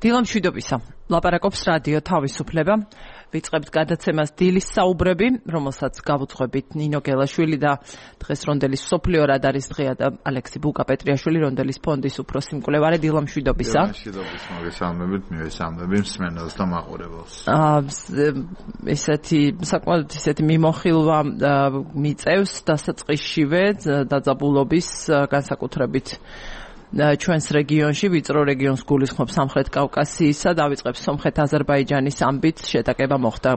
დილამ მშვიდობისა. ლაპარაკობს რადიო თავისუფლება. ვიწყებთ გადაცემას დილის საუბრები, რომელსაც გავუძღვებით ნინო გელაშვილი და დღეს რონდელის მსოფლიო რადარის დღეა და ალექსი ბუკაპეტრიაშვილი რონდელის ფონდის უფროსი მკვლევარი. დილამ მშვიდობისა. მშვიდობის მოგესალმებით, მივესალმები მსმენელს და მაყურებელს. ისეთი მიმოხილვა მიწევს დასაწყისშივე დაძაბულობის განსაკუთრებით ჩვენს რეგიონში, ვიწრო რეგიონს გულისხმობს სამხრეთ კავკასიისა, დავიწყებს სომხეთ-აზერბაიჯანის ამბით, შეტაკება მოხდა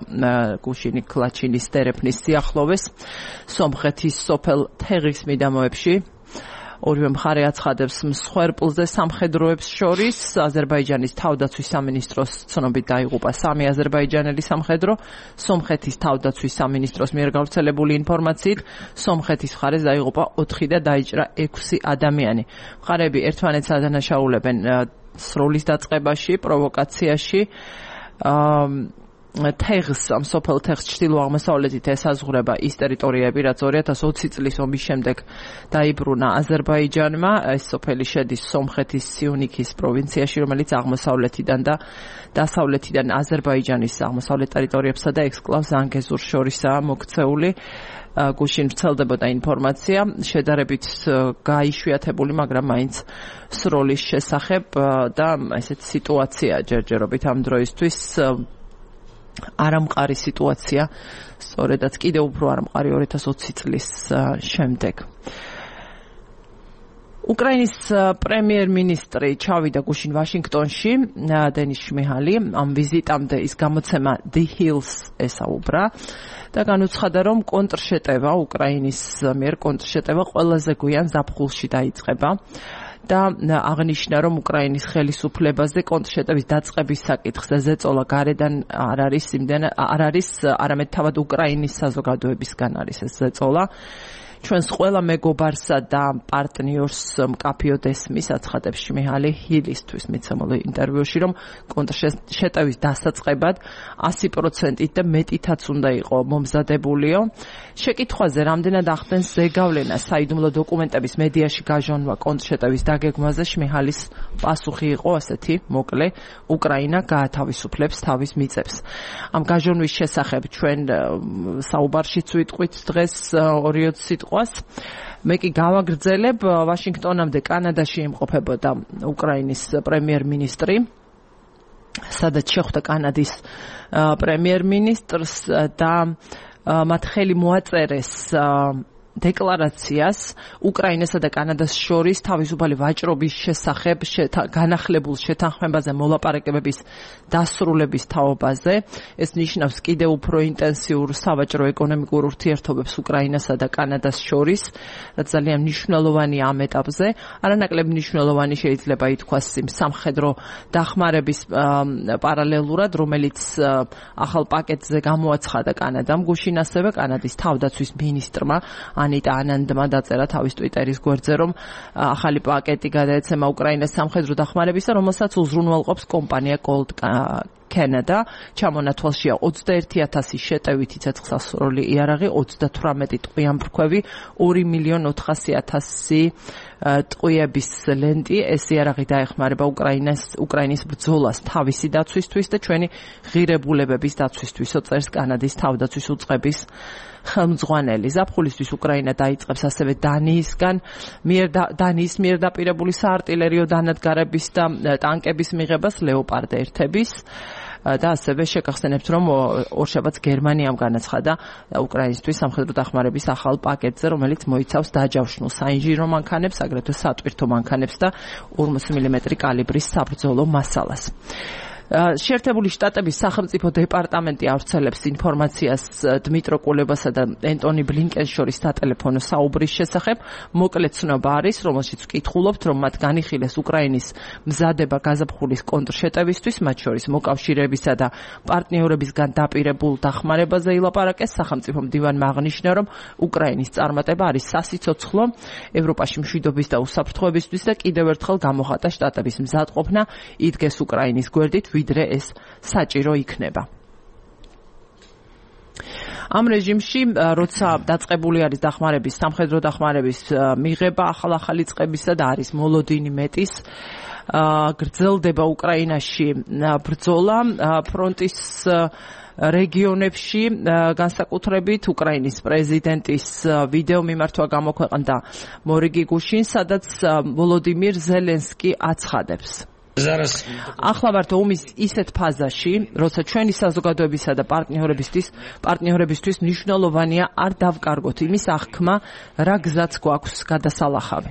გუშინი კლაჩინის ტერეფნის სიახლოვეს, სომხეთის სოფელ თეღის მიდამოებში. ორივე მხარე აცხადებს მსხვერპლზე სამხედროებს შორის. აზერბაიჯანის თავდაცვის სამინისტროს ცნობით დაიღუპა 3 აზერბაიჯანელი სამხედრო. სომხეთის თავდაცვის სამინისტროს მიერ გავრცელებული ინფორმაციით, სომხეთის მხარეს დაიღუპა 4 და დაიჭრა 6 ადამიანი. მხარეები ერთმანეთს ადანაშაულებენ სროლის დაწყებაში, პროვოკაციაში. თეღს, ამ სოფელ თეღს ჩრდილო-აღმოსავლეთით ესაზღვრება ის ტერიტორიები, რაც 2020 წლის ომის შემდეგ დაიბრუნა აზერბაიჯანმა. ეს სოფელი შედის სომხეთის სიუნიქის პროვინციაში, რომელიც აღმოსავლეთიდან და დასავლეთიდან აზერბაიჯანის აღმოსავლეთ ტერიტორიებსა და ექსკლავ ზანგეზურს შორისაა მოქცეული. გუშინ ვრცელდებოდა ინფორმაცია, შედარებით გაიშვიათებული, მაგრამ მაინც სროლის შესახებ და ესეთ სიტუაცია ჯერჯერობით ამ დროისთვის არამყარი სიტუაცია, სწორედაც კიდევ უფრო არამყარი 2020 წლის შემდეგ. უკრაინის პრემიერ-მინისტრი ჩავიდა გუშინ ვაშინგტონში, დენის შმიჰალი. ამ ვიზიტამდე ის გამოცემა The Hills ესაუბრა და განუცხადა, რომ კონტრშეტევა, უკრაინის მიერ კონტრშეტევა ყველაზე გვიან ზაფხულში დაიწყება. და აღნიშნა, რომ უკრაინის ხელისუფლებაზე კონტრშეტევის დაწყების საკითხზე ზეწოლა გარედან არ არის, არამედ თავად უკრაინის საზოგადოებისგან არის ეს ზეწოლა. ჩვენს ყველა მეგობარსა და პარტნიორს მკაფიოდ ესმის, აცხადებს შმიჰალი ჰილისთვის მიცემულ ინტერვიუში, რომ კონტრშეტევის დასაწყებად 100% და მეტითაც უნდა იყო მომზადებულიო. შეკითხვაზე, რამდენად ახდენს ზეგავლენა საიდუმლო დოკუმენტების მედიაში გაჟონვა კონტრშეტევის დაგეგმვაზე, შმიჰალის პასუხი იყო ასეთი მოკლე: უკრაინა გაათავისუფლებს თავის მიწებს. ამ გაჟონვის შესახებ ჩვენ საუბარშიც ვიტყვით დღეს 2-20 სიტყვას. მე კი გავაგრძელებ, ვაშინგტონამდე კანადაში იმყოფებოდა უკრაინის პრემიერ-მინისტრი, სადაც შეხვდა კანადის პრემიერ-მინისტრს და მათ ხელი მოაწერეს დეკლარაციას უკრაინასა და კანადას შორის თავისუფალი ვაჭრობის შესახებ განახლებულ შეთანხმებაზე მოლაპარაკებების დასრულების თაობაზე. ეს ნიშნავს კიდევ უფრო ინტენსიურ სავაჭრო-ეკონომიკურ ურთიერთობებს უკრაინასა და კანადას შორის, რაც ძალიან მნიშვნელოვანი ამ ეტაპზე. არანაკლებ მნიშვნელოვანი შეიძლება ითქვას იმ სამხედრო დახმარების პარალელურად, რომელიც ახალ პაკეტზე გამოაცხადა კანადამ. გუშინ ასევე კანადის თავდაცვის მინისტრმა ანიტა ანანდმა დაწერა თავის ტვიტერის გვერდზე, რომ ახალი პაკეტი გადაეცემა უკრაინას სამხედრო დახმარებისა, რომელსაც უზრუნველყოფს კომპანია Gold Canada. ჩამონათვალშია 21,000 შეტევითი ცეცხლსასროლი იარაღი, 38 ტყვიამფრქვევი, 2,400,000 ტყვიების ლენტი. ეს იარაღი დაეხმარება უკრაინის ბრძოლას თავისი დაცვისთვის და ჩვენი ღირებულებების დაცვისთვის, წერს კანადის თავდაცვის უწყების ხელმძღვანელი. ზაფხულისთვის უკრაინა დაიწყებს ასევე დანიის მიერ დაპირებული საარტილერიო დანადგარების და ტანკების მიღებას ლეოპარდ 1-ების და ასევე შეგახსენებთ, რომ ორშაბათს გერმანიამ განაცხადა უკრაინისთვის სამხედრო დახმარების ახალ პაკეტზე, რომელიც მოიცავს დაჯავშნულ საინჟინრო მანქანებს, აგრეთვე სატვირთო მანქანებს და 40 მმ კალიბრის საბრძოლო მასალას. შეერთებული შტატების სახელმწიფო დეპარტამენტი ავრცელებს ინფორმაციას დმიტრო კულებასა და ენტონი ბლინკენს შორის სატელეფონო საუბრის შესახებ. მოკლე ცნობა არის, რომელშიც ვკითხულობთ, რომ მათ განიხილეს უკრაინის მზადება გაზაფხულის კონტრშეტევისთვის, მათ შორის მოკავშირეებისა და პარტნიორებისგან დაპირებულ დახმარებაზე ილაპარაკეს. სახელმწიფო მდივანმა აღნიშნა, რომ უკრაინის წარმატება არის სასიცოცხლო ევროპაში მშვიდობის და უსაფრთხოებისთვის და კიდევ ერთხელ გამოხატა შტატების მზადყოფნა იდგეს უკრაინის გვერდით, ვიდრე ეს საჭირო იქნება. ამ რეჟიმში, როცა დაწყებული არის სამხედრო დახმარების მიღება ახალი წყებისა და არის მოლოდინი მეტის, გრძელდება უკრაინაში ბრძოლა ფრონტის რეგიონებში, განსაკუთრებით უკრაინის პრეზიდენტის ვიდეო მიმართვა გამოქვეყნდა მორიგი გუშინ, სადაც ვოლოდიმირ ზელენსკი აცხადებს. ახლა ვართ ომის ისეთ ფაზაში, როცა ჩვენი საზოგადოებისა და პარტნიორებისთვის მნიშვნელოვანია არ დავკარგოთ იმის აღქმა, რა გზაც გვაქვს გადასალახავი.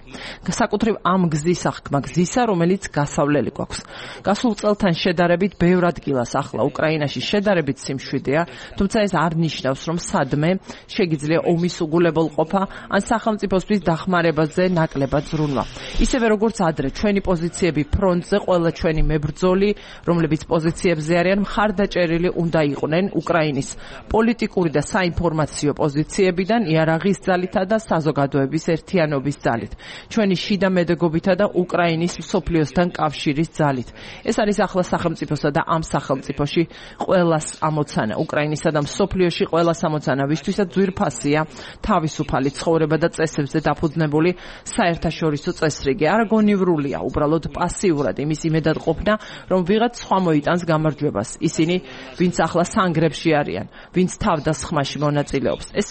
საკუთრივ ამ გზის აღქმა, გზისა, რომელიც გასავლელი გვაქვს. გასულ წელთან შედარებით ბევრ ადგილას ახლა უკრაინაში შედარებით სიმშვიდეა, თუმცა ეს არ ნიშნავს, რომ სადმე შეგიძლია ომის უგულებელყოფა ან სახელმწიფოსთვის დახმარებაზე ნაკლებად ზრუნვა. ისევე როგორც ადრე ჩვენი პოზიციები ფრონტზე ყველა ჩვენი მებრძოლი, რომლებიც პოზიციებზე არიან, მხარდაჭერილი უნდა იყვნენ უკრაინის პოლიტიკური და საინფორმაციო პოზიციებიდან, იარაღის ძალითა და საზოგადოების ერთიანობის ძალით, ჩვენი შიდა მედეგობითა და უკრაინის მსოფლიოსთან კავშირის ძალით. ეს არის ახლა სახელმწიფოსა და ამ სახელმწიფოში ყველას ამოცანა, უკრაინისა და მსოფლიოში ყველას ამოცანა, ვისთვისაც ძვირფასია თავისუფალი ცხოვრება და წესებზე დაფუძნებული საერთაშორისო წესრიგი. არ გონივრულია, უბრალოდ პასიურად იმის იმედად ყოფნა, რომ ვიღაც სხვა მოიტანს გამარჯვებას. ისინი, ვინც ახლა სანგრებში არიან, ვინც თავდასხმაში მონაწილეობს, ეს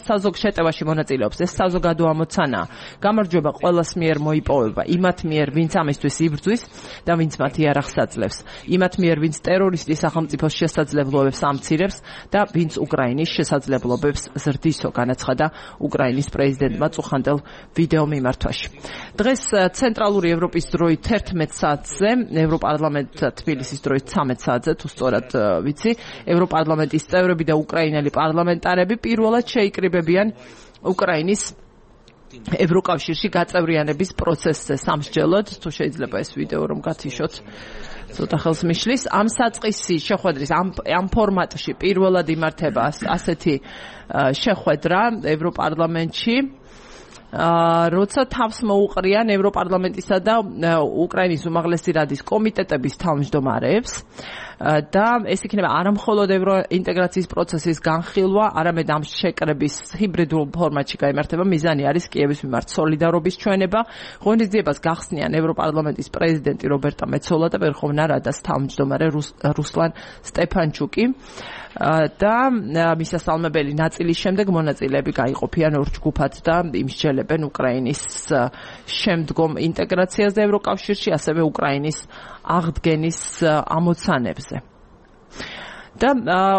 საზოგ შეტევაში მონაწილეობს, ეს საზოგადო ამოცანაა. გამარჯვება ყველას მიერ მოიპოვება, იმათ მიერ, ვინც ამისთვის იბრძვის და ვინც მათ იარაღს აძლევს, იმათ მიერ, ვინც ტერორისტის სახელმწიფოს შესაძლებლობებს ამცირებს და ვინც უკრაინის შესაძლებლობებს ზრდისო, განაცხადა უკრაინის პრეზიდენტმა წუხანდელ ვიდეო მიმართვაში. დღეს ცენტრალური ევროპის დროით 11 საათზე, ევროპარლამენტ თბილისის დროით 13 საათზე, თუ სწორად ვიცი, ევროპარლამენტის წევრები და უკრაინელი პარლამენტარები პირველად შეიკრიბებიან უკრაინის ევროკავშირში გაწევრიანების პროცესზე სამსჯელოდ, თუ შეიძლება ეს ვიდეო რომ გათიშოთ, ცოტა ხელს მიშლის. ამ საწყისი შეხვედრის ამ ფორმატში პირველად იმართება ასეთი შეხვედრა ევროპარლამენტში, როცა თავს მოუყრიან ევროპარლამენტისა და უკრაინის უმაღლესი რადის კომიტეტების თავმჯდომარეებს და ეს იქნება არამხოლოდ ევროინტეგრაციის პროცესის განხილვა, არამედ ამ შეკრების ჰიბრიდულ ფორმატში გაიმართება. მიზანი არის კიევის მიმართ სოლიდარობის ჩვენება. ღონისძიებას გახსნიან ევროპარლამენტის პრეზიდენტი რობერტა მეცოლა და ვერხოვნა რადას თავმჯდომარე რუსლან სტეფანჩუკი. და მისასალმებელი ნაწილის შემდეგ მონაწილეები გაიყოფიან ორ ჯგუფად და იმსჯელებენ უკრაინის შემდგომ ინტეგრაციას და ევროკავშირში, ასევე უკრაინის აღდგენის ამოცანებზე. და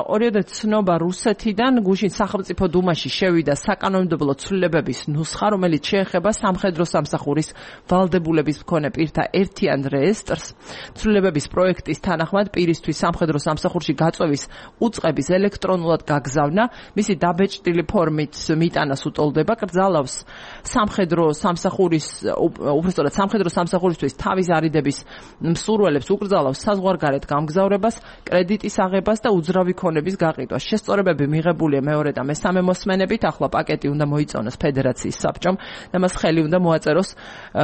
ორიოდე ცნობა რუსეთიდან გუშინ სახელმწიფო დუმაში შევიდა საკანონმდებლო ცვლილებების ნუსხა, რომელიც შეეხება სამხედრო სამსახურის ვალდებულების მქონე პირთა ერთიან რეესტრს. ცვლილებების პროექტის თანახმად პირისთვის სამხედრო სამსახურში გაწვევის უწყების ელექტრონულად გაგზავნა, მისი დაბეჭდილი ფორმით მიტანას უტოლდება, კრძალავს სამხედრო სამსახურისთვის თავის არიდების მსურველებს, უკრძალავს საზღვარგარეთ გამგზავრებას, კრედიტის აღებას და უძრავი ქონების გაყიდვას. შესწორებები მიღებულია მეორე და მესამე მოსმენებით, ახლა პაკეტი უნდა მოიწონოს ფედერაციის საბჭომ და მას ხელი უნდა მოაწეროს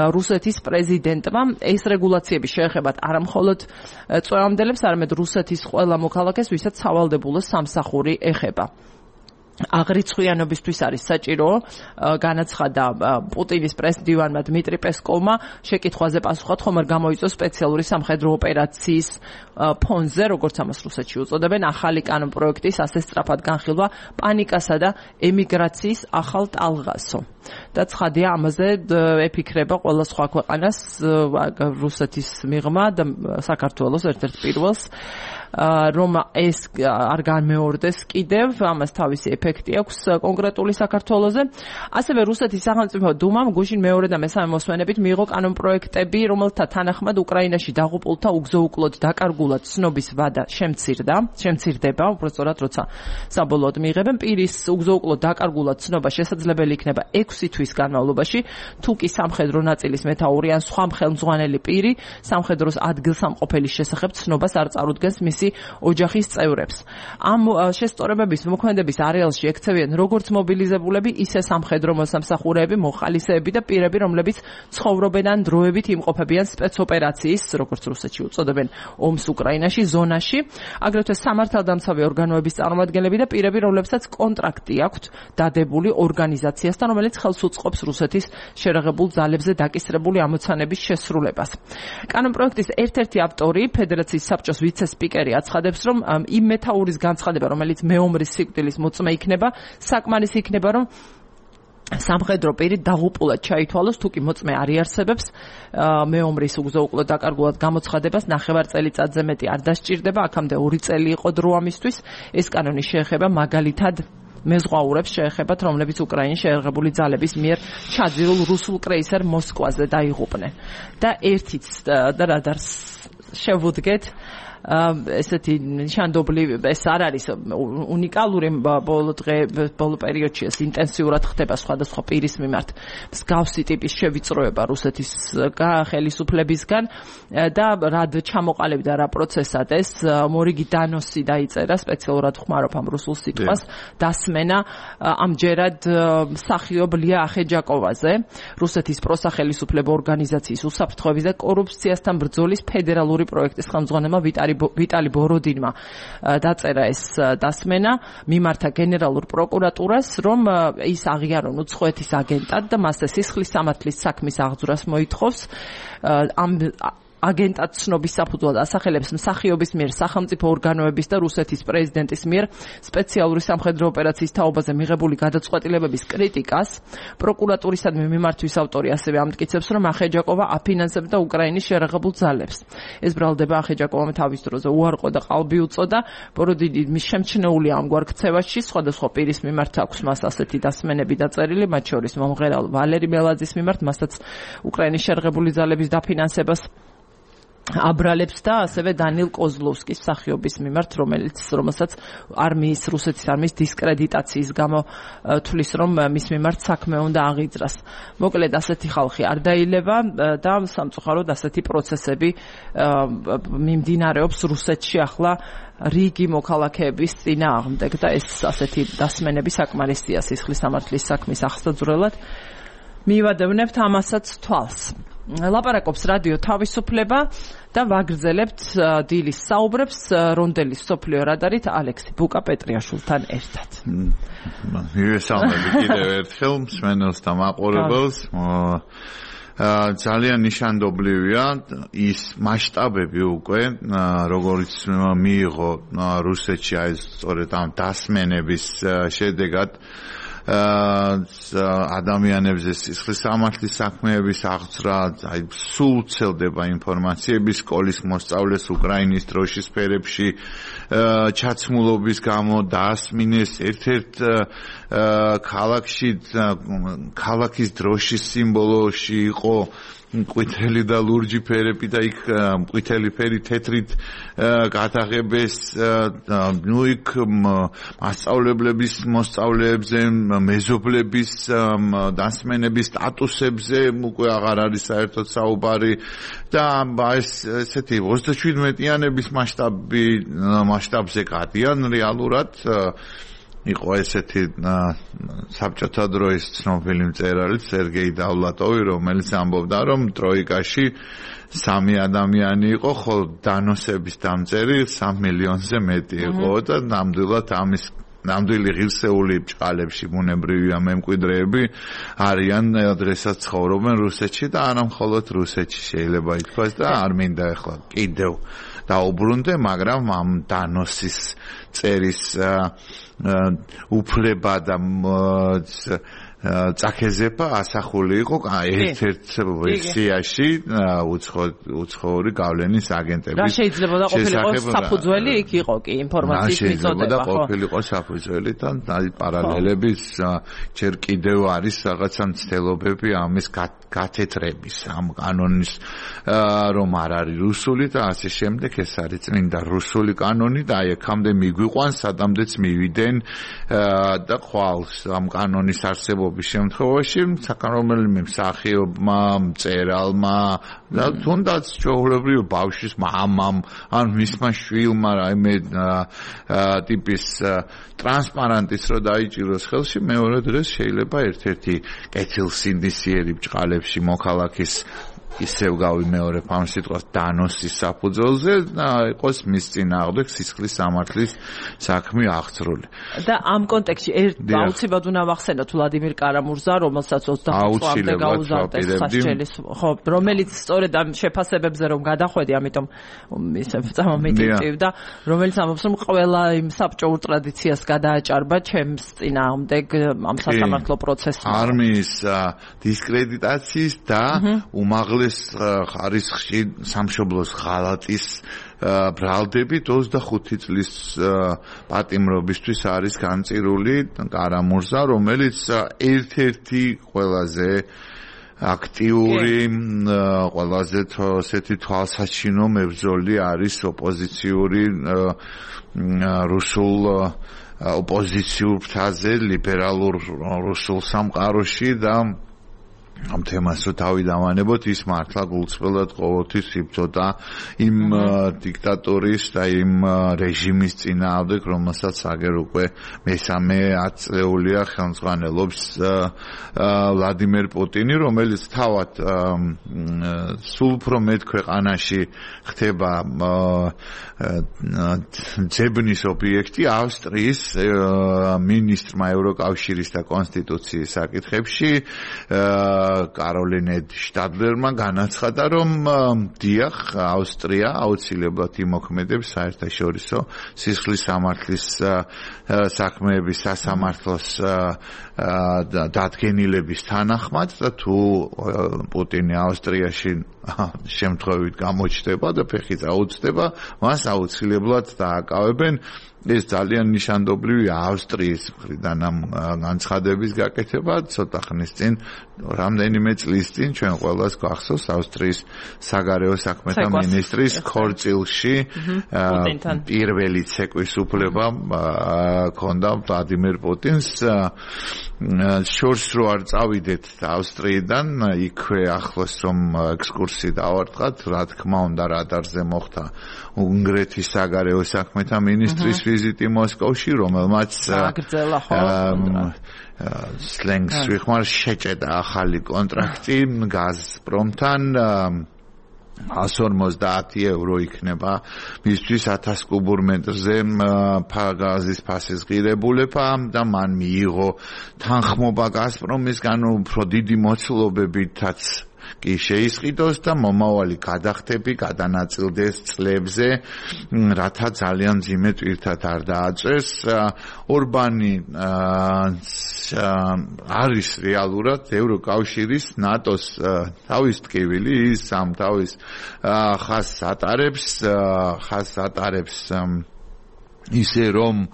რუსეთის პრეზიდენტმა. ეს რეგულაციები შეეხებათ არამხოლოდ წვევამდელებს, არამედ რუსეთის ყველა მოქალაქეს, ვისაც სავალდებულო სამსახური ეხება. აღრიცხვიანობისთვის არის საჭირო, განაცხადა პუტინის პრესდივანმა დმიტრი პესკოვმა, შეკითხვაზე პასუხად ხომ არ გამოიწვია სპეციალური სამხედრო ოპერაციის ფონზე, როგორც ამას რუსეთში უწოდებენ, ახალი კანონპროექტის ასე სწრაფად განხილვა პანიკასა და ემიგრაციის ახალ ტალღასო. და ცხადია, ამაზე ეფიქრება ყველა სხვა ქვეყანას, რუსეთის მიღმა და საქართველოს ერთ-ერთ პირველს, რომ ეს არ განმეორდეს კიდევ, ამას თავისი ეფექტი აქვს კონკრეტული საქართველოზე. ასევე რუსეთის სახელმწიფო დუმამ გუშინ მეორე და მესამე მოსმენებით მიიღო კანონპროექტები, რომელთა თანახმად უკრაინაში დაღუპულთა უგზო-უკლოდ დაკარგულად ცნობის ვადა შემცირდება, უბრალოდ როცა საბოლოოდ მიიღებენ პირის უგზო-უკლოდ დაკარგულად ცნობა შესაძლებელი იქნება 6 თვის განმავლობაში, თუ კი სამხედრო ნაწილის მეთაური ან სხვა ხელმძღვანელი პირი სამხედროს ადგილსამყოფელის შესახებ ცნობას არ წარუდგენს მისი ოჯახის წევრებს. ამ შესწორებების მოქმედების არეალში ექცევიან როგორც მობილიზებულები, ისე სამხედრო მოსამსახურეები, მოხალისეები და პირები, რომლებიც ცხოვრობენ ან დროებით იმყოფებიან სპეცოპერაციის, როგორც რუსეთში უწოდებენ, ომს უკრაინაში, ზონაში, აგრეთვე სამართალდამცავი ორგანოების წარმომადგენლები და პირები, რომლებსაც კონტრაქტი აქვთ დადებული ორგანიზაციასთან, რომელიც ხელს უწყობს რუსეთის შერაღებულ ძალებზე დაკისრებული ამოცანების შესრულებას. კანონპროექტის ერთ-ერთი ავტორი, ფედერაციის საბჭოს ვიცე-სპიკერი აცხადებს, რომ იმ მეთაურის განცხადება, რომელიც მეომრის სიკვდილის მოწმე იქნება, საკმარისი იქნება, რომ სამხედრო პირი დაღუპულად ჩაითვალოს, თუ კი მოწმე არ იარსებებს, მეომრის უგზო-უკლო დაკარგულად გამოცხადებას 9 წელიწადზე მეტი არ დასჭირდება, აქამდე 2 წელი იყო დრო ამისთვის. ეს კანონი შეეხება მაგალითად მეზღვაურებს შეეხებათ, რომლებიც უკრაინის შეერაღებული ძალების მიერ ჩაძირულ რუსულ კრეისერ მოსკვაზე დაიღუპნენ. და ერთიც და რადარს შევუდგეთ ესეთი ნიშანდობლივი, ეს არ არის უნიკალური, ბოლო პერიოდში ეს ინტენსიურად ხდება სხვადასხვა პირის მიმართ მსგავსი ტიპის შევიწროება რუსეთის ხელისუფლებისგან და რად ჩამოყალიბდა რა პროცესად ეს მორიგი დანოსი დაიწერა, სპეციალურად ხმარობ ამ რუსულ სიტყვას, დასმენა ამჯერად მსახიობ ლია ახეჯაკოვაზე, რუსეთის პროსახელისუფლებო ორგანიზაციის უსაფრთხოების და კორუფციასთან ბრძოლის ფედერალური პროექტის ხელმძღვანელმა ვიტალი ბოროდინმა დაწერა ეს დასმენა, მიმართა გენერალურ პროკურატურას, რომ ის აღიარონ უცხოეთის აგენტად და მასზე სისხლის სამართლის საქმის აღძვრას მოითხოვს. ამ აგენტად ცნობის საფუძვლად ასახელებს მსახიობის მიერ სახელმწიფო ორგანოების და რუსეთის პრეზიდენტის მიერ სპეციალური სამხედრო ოპერაციის თაობაზე მიღებული გადაწყვეტილებების კრიტიკას. პროკურატურისადმი მიმართვის ავტორი ასევე ამტკიცებს, რომ ახეჯაკოვა აფინანსებდა უკრაინის შერაღებულ ძალებს. ეს ბრალდება ახეჯაკოვამ თავის დროზე უარყო და ყალბი უწოდა. ბოროდინი მის შემჩნეულია ამგვარ ქცევაში, სხვადასხვა პირის მიმართ აქვს მას ასეთი დასმენები დაწერილი, მათ შორის მომღერალ ვალერი მელაძის მიმართ, მასაც უკრაინის შერაღებული ძალების დაფინანსებას აბრალებს და ასევე დანილ კოზლოვსკის მსახიობის მიმართ, რომელსაც რუსეთის არმიის დისკრედიტაციის გამო თვლის, რომ მის მიმართ საქმე უნდა აღიძრას. მოკლედ ასეთი ხალხი არ დაილევა და სამწუხაროდ ასეთი პროცესები მიმდინარეობს რუსეთში ახლა რიგი მოქალაქეების წინააღმდეგ და ეს ასეთი დასმენები საკმარისია სისხლის სამართლის საქმის აღსაძვრელად. მივადევნებთ ამასაც თვალს. ლაპარაკობს რადიო თავისუფლება და ვაგრძელებთ დილის საუბრებს რონდელის სოფლიო რადარით ალექსი ბუკა-პეტრიაშვილთან ერთად. მივესალმები კიდევ ერთხელ მსმენელს და მაყურებელს. ძალიან ნიშანდობლივია ის მასშტაბები უკვე, როგორიც მიიღო რუსეთში აი სწორედ ამ დასმენების შედეგად ადამიანებზე სისხლის სამართლის საქმეების აღძრა, აი სულ ვრცელდება ინფორმაციები სკოლის მოსწავლეს უკრაინის დროშის ფერებში ჩაცმულობის გამო დაასმინეს ერთ-ერთ ქალაქში, ქალაქის დროშის სიმბოლოში იყო მყვითელი და ლურჯი ფერები და იქ მყვითელი ფერი თეთრით გადაღებეს, ნუ იქ მასწავლებლების მოსწავლეებზე, მეზობლების დასმენების სტატუსებზე უკვე აღარ არის საერთოდ საუბარი და ესეთი 37-იანების მასშტაბზე გადიან რეალურად. იყო ესეთი საბჭოთა დროის ცნობილი მწერალი სერგეი დავლატოვი, რომელიც ამბობდა, რომ ტროიკაში 3 ადამიანი იყო, ხოლო დანოსების დამწერი 3 მილიონზე მეტი იყო და ნამდვილი ღირსეული ბჭყალებში ბუნებრივია მემკვიდრეები არიან, დღესაც ცხოვრობენ რუსეთში და არა მხოლოდ რუსეთში შეიძლება ითქვას და არ მინდა ახლა კიდევ დაუბრუნდე, მაგრამ ამ დანოსის წერის უფლება და წაქეზება ასახული იყო ერთ-ერთ ვერსიაში უცხოური გავლენის აგენტების. რა შეიძლება და ყოფილიყო საფუძველი იქ იყო კი ინფორმაციის მიწოდება, ხო? ყოფილიყო საფუძველი და პარალელები ჯერ კიდევ არის რაღაცა მცდელობები ამის გათეთრების, ამ კანონის რომ არ არის რუსული და ასე შემდეგ, ეს არის წმინდა რუსული კანონი და აი აქამდე მიგვიყვანს, სადამდეც მივიდნენ და ხვალს ამ კანონის არსებობის შემთხვევაში საკანონმდებლო მსახიობმა, მწერალმა და თუნდაც ჩვეულებრივ ბავშვის მამამ ან მისმა შვილმა რაიმე ტიპის ტრანსპარანტის რო დაიჭიროს ხელში, მეორე დღეს შეიძლება ერთ-ერთი კეთილსინდისიერი ბჭყალებში მოქალაქის ისევ გავიმეორებ ამ სიტყვას დანოსის საფუძველზე იყოს მის წინააღმდეგ სისხლის სამართლის საქმე აღწრული. და ამ კონტექსტში აუცილებლად უნდა ვახსენოთ ვლადიმერ კარამურზა, რომელსაც 25 წლამდე გაუზარდეს ხასჭელის, ხო, რომელიც სწორედ ამ შეფასებებზე რომ გადახვედი, ამიტომ ისე წამომიტივდა, რომელიც ამბობს, რომ ყველა იმ საბჭოურ ტრადიციას გადააჭარბა ჩემს წინააღმდეგ ამ სასამართლო პროცესში. არმიის დისკრედიტაციის და უმაღლეს ხარისხში სამშობლოს ღალატის ბრალდებით 25 წლის პატიმრობისთვის არის განწირული კარამურზა, რომელიც ერთ-ერთი ყველაზე აქტიური, ყველაზე ესეთი თვალსაჩინო მებრძოლი არის ოპოზიციური რუსულ ოპოზიციურ ფრთაზე ლიბერალურ რუსულ სამყაროში და ამ თემას რო თავი დავანებოთ, ის მართლა გულწრფელად ყოველთვის იბრძოდა იმ დიქტატორის და იმ რეჟიმის წინააღმდეგ, რომელსაც აგერ უკვე მესამე 10 წლეულია ხელმძღვანელობს ვლადიმერ პუტინი, რომელიც თავად სულ უფრო მეტ ქვეყანაში ხდება ძებნის ობიექტი ავსტრიის მინისტრმა ევროკავშირის და კონსტიტუციის საკითხებში კაროლინე შტადლერმა განაცხადა, რომ დიახ, ავსტრია აუცილებლად იმოქმედებს საერთაშორისო სისხლის სამართლის საქმეების სასამართლოს დადგენილების თანახმად და თუ პუტინი ავსტრიაში შემთხვევით გამოჩნდება და ფეხი წაუწდება, მას აუცილებლად დააკავებენ. ეს ძალიან ნიშანდობლივია ავსტრიის მხრიდან ამ განცხადების გაკეთება. ცოტა ხნის წინ, რამდენიმე წლის წინ ჩვენ ყველას გვახსოვს ავსტრიის საგარეო საქმეთა მინისტრის ქორწილში პირველი ცეკვის უფლება ჰქონდა ვლადიმერ პუტინს. შორს რო არ წავიდეთ ავსტრიიდან, იქვე ახლოს რომ ექსკურსი დავარტყათ, რა თქმა უნდა რადარზე მოხდა უნგრეთის საგარეო საქმეთა მინისტრის ვიზიტი მოსკოვში, რომელმაც სლენგს ვიხმარ შეჭედა ახალი კონტრაქტი გაზპრომთან 150 евро იქნება მისთვის 1000 კუბურ მეტრზე გაზის ფასის ღირებულება და მან მიიღო თანხმობა გაზპრომისგან უფრო დიდი მოცულობებითაც კი შეისყიდოს და მომავალი გადახდები გადანაწილდეს წლებზე, რათა ძალიან მძიმე ტვირთად არ დააწეს. ორბანი არის რეალურად ევროკავშირის ნატოს თავის ტკივილი, ის ამ თავის ხაზს ატარებს ისე რომ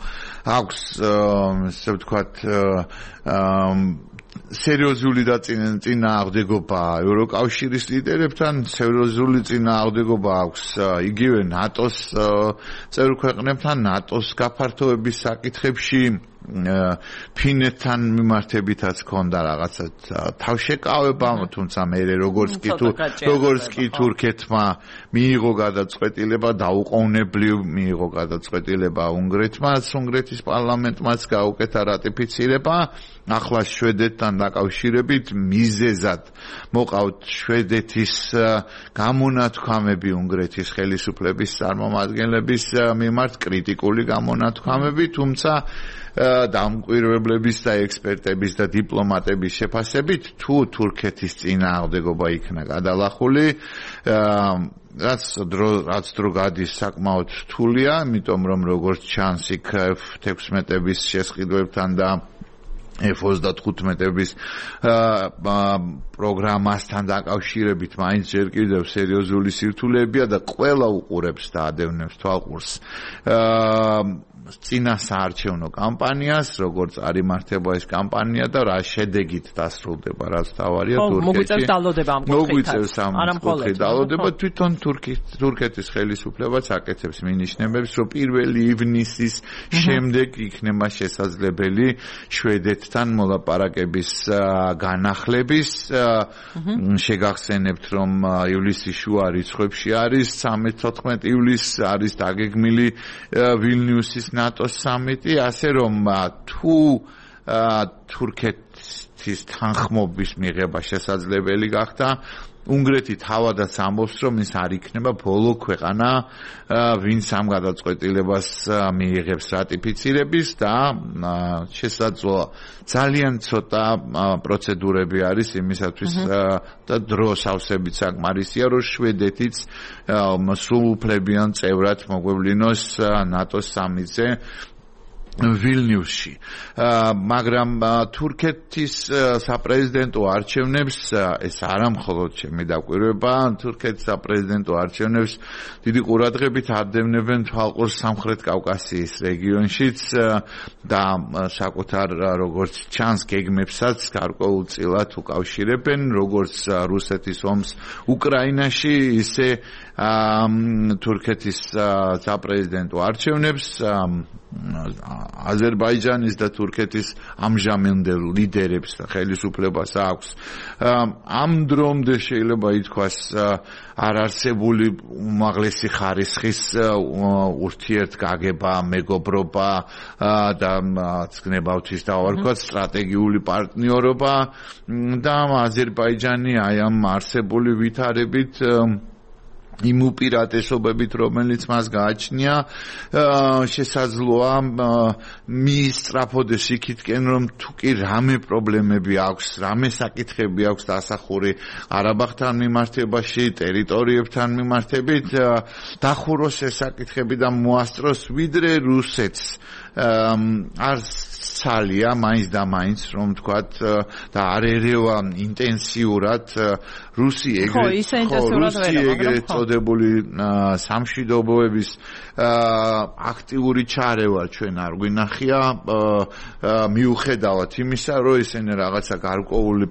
აქვს ესე ვთქვათ სერიოზული და წინააღმდეგობა ევროკავშირის ლიდერებთან, სერიოზული წინააღმდეგობა აქვს იგივე ნატოს წევრ ქვეყნებთან, ნატოს გაფართოების საკითხებში, ფინეთთან მიმართებითაც ჰქონდა რაღაცა თავშეკავება, თუმცა მე როგორც კი თურქეთმა მიიღო გადაწყვეტილება, დაუყოვნებლივ მიიღო გადაწყვეტილება უნგრეთის პარლამენტმაც გაუკეთა რატიფიცირება. ახლა შვედეთთან დაკავშირებით მიზეზად მოყავთ შვედეთის გამონათქვამები უნგრეთის ხელისუფლების წარმომადგენლების მიმართ, კრიტიკული გამონათქვამები, თუმცა დამკვირვებლების და ექსპერტების და დიპლომატების შეფასებით, თუ თურქეთის წინააღმდეგობა იქნა გადალახული, რაც დრო გადის საკმაოდ რთულია, იმიტომ რომ როგორც ჩანს იქ F-16-ების შესყიდვებთან და F-35-ების პროგრამასთან დაკავშირებით მაინც ჯერ კიდევ სერიოზული სირთულეებია და ყველა უყურებს და ადევნებს თვალყურს წინასაარჩევნო კამპანიას, როგორც არის მართება ეს კამპანია და რა შედეგით დასრულდება, რაც თავარია თურქეთში. მოგვიწევს დალოდება ამ კუთხით დალოდება, თვითონ თურქეთის ხელისუფლებაც აკეთებს მინიშნებებს, რომ 1 ივნისის შემდეგ იქნება შესაძლებელი შვედეთთან მოლაპარაკების განახლების. შეგახსენებთ, რომ ივლისის შუა რიცხვებში არის 13-14 ივლისს არის დაგეგმილი ვილნიუსის ნატოს სამიტი, ასე რომ თუ თურქეთის თანხმობის მიღება შესაძლებელი გახდა, უნგრეთი თავადაც ამბობს, რომ ის არ იქნება ბოლო ქვეყანა, ვინც ამ გადაწყვეტილებას მიიღებს რატიფიცირების და შესაძლოა ძალიან ცოტა პროცედურები არის იმისათვის და დრო სავსებით საკმარისია, რომ შვედეთიც სრულუფლებიან წევრად მოგვევლინოს ნატოს სამიტზე ვილნიუსში. მაგრამ თურქეთის საპრეზიდენტო არჩევნებს ეს არა მხოლოდ ჩემი დაკვირვება, თურქეთის საპრეზიდენტო არჩევნებს დიდი ყურადღებით არდევნებენ თვალყურს სამხრეთ კავკასიის რეგიონშიც და საკუთარ როგორც ჩანს გეგმებსაც გარკვეულწილად უკავშირებენ, როგორც რუსეთის ომს უკრაინაში, ისე თურქეთის საპრეზიდენტო არჩევნებს აზერბაიჯანის და თურქეთის ამჟამინდელ ლიდერებს და ხელისუფლებას აქვს. ამ დრომდე შეიძლება ითქვას არარსებული უმაღლესი ხარისხის ურთიერთგაგება, მეგობრობა და გნებავთვის დავარქვათ სტრატეგიული პარტნიორობა და აზერბაიჯანი აი ამ არსებული ვითარებით იმ უპირატესობებით, რომელიც მას გააჩნია, შესაძლოა მიისწრაფოდეს იქითკენ, რომ თუ კი რამე პრობლემები აქვს, რამე საკითხები აქვს დასახური ყარაბაღთან მიმართებაში, ტერიტორიებთან მიმართებით, დახუროს ეს საკითხები და მოასწროს ვიდრე რუსეთს არ ცალია მაინც და მაინც რომ თქვათ და არ ერევა ინტენსიურად რუსი ეგრეთ წოდებული სამშვიდობოების აქტიური ჩარევა ჩვენ არ გვინახია მიუხედავად იმისა რომ ესენი რაღაცა გარკვეული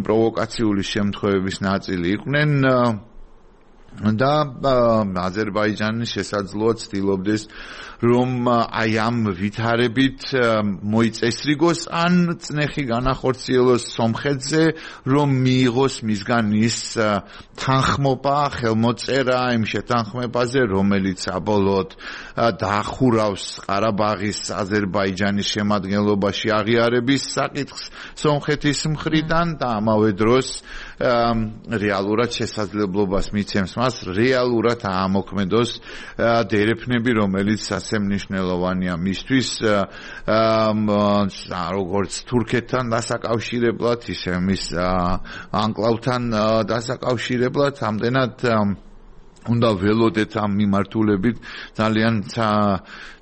პროვოკაციული შემთხვევების ნაწილი იყვნენ და აზერბაიჯანი შესაძლოა ცდილობდეს რომ აი ამ ვითარებით მოიწესრიგოს ან წნეხი განახორციელოს სომხეთზე, რომ მიიღოს მისგან ის თანხმობა, ხელმოწერა იმ შეთანხმებაზე, რომელიც საბოლოოდ დაახურავს ყარაბაღის აზერბაიჯანის შემადგენლობაში აღიარების საკითხს სომხეთის მხრიდან და ამავე დროს რეალურად შესაძლებლობას მიცემს მას რეალურად აამოქმედოს დერეფნები, რომელიც ასე მნიშვნელოვანია მისთვის როგორც თურქეთთან დასაკავშირებლად, ისე მის ანკლავთან დასაკავშირებლად, ამდენად უნდა ველოდეთ ამ მიმართულებით ძალიან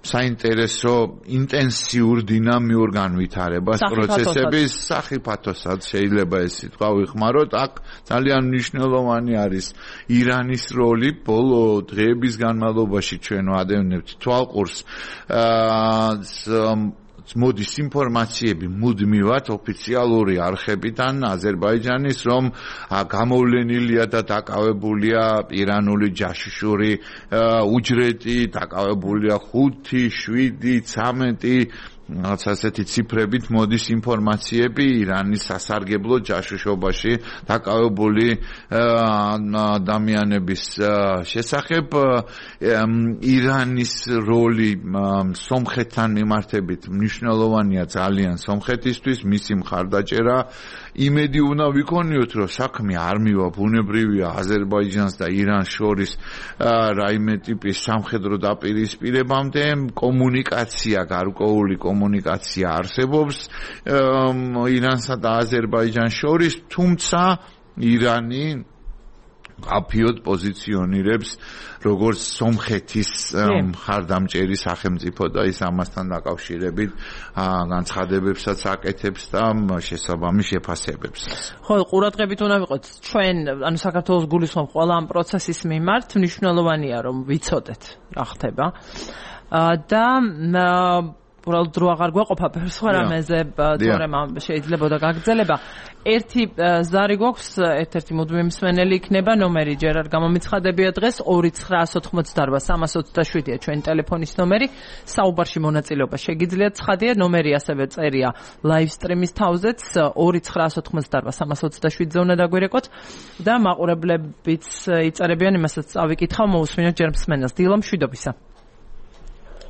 საინტერესო ინტენსიურ დინამიურ განვითარებას პროცესების სახიფათოსაც შეიძლება ეს სიტყვა ვიხმაროთ. აქ ძალიან მნიშვნელოვანი არის ირანის როლი. ბოლო დღეების განმავლობაში ჩვენ ვადევნებთ თვალყურს მოდის ინფორმაციები მუდმივად ოფიციალური არხებიდან აზერბაიჯანის, რომ გამოვლენილია და დაკავებულია ირანული ჯაშუშური უჯრედი, დაკავებულია 5, 7, 13 რაღაც ასეთი ციფრებით მოდის ინფორმაციები ირანის სასარგებლო ჯაშუშობაში დაკავებული ადამიანების შესახებ. ირანის როლი სომხეთთან მიმართებით მნიშვნელოვანია ძალიან სომხეთისთვის, მისი მხარდაჭერა. იმედი უნდა ვიქონიოთ, რომ საქმე არ მივა ბუნებრივია აზერბაიჯანს და ირანს შორის რაიმე ტიპის სამხედრო დაპირისპირებამდე, კომუნიკაცია გარკვეული კომუნიკაცია არსებობს ირანსა და აზერბაიჯანს შორის, თუმცა ირანი აფიოდ პოზიციონირებს როგორც სომხეთის მხარდამჭერი სახელმწიფო და ის ამასთან დაკავშირებით განცხადებებსაც აკეთებს და შესაბამის შეფასებებს. ხო, ყურადღებით უნდა ვიყოთ ჩვენ, ანუ საქართველოს გულისხმობ ყველა ამ პროცესის მიმართ, მნიშვნელოვანია რომ ვიცოდეთ რა ხდება და უბრალოდ დრო აღარ გვაყოფა სხვა რამეზე თორემ შეიძლება და გაგრძელება. ერთი ზარი გვაქვს, ერთ-ერთი მუდმივი მსმენელი იქნება, ნომერი ჯერ არ გამომიცხადებია დღეს 2988327-ია ჩვენი ტელეფონის ნომერი. საუბარში მონაწილეობა შეგიძლიათ, ცხადია, ნომერი ასევე წერია live stream-ის თავზეც 2988327-ზე უნდა დაგვირეკოთ და მაყურებლებიც იწერებიან, იმასაც წავიკითხავ, მოусმინოთ ჯერ მსმენელს. დილა მშვიდობისა.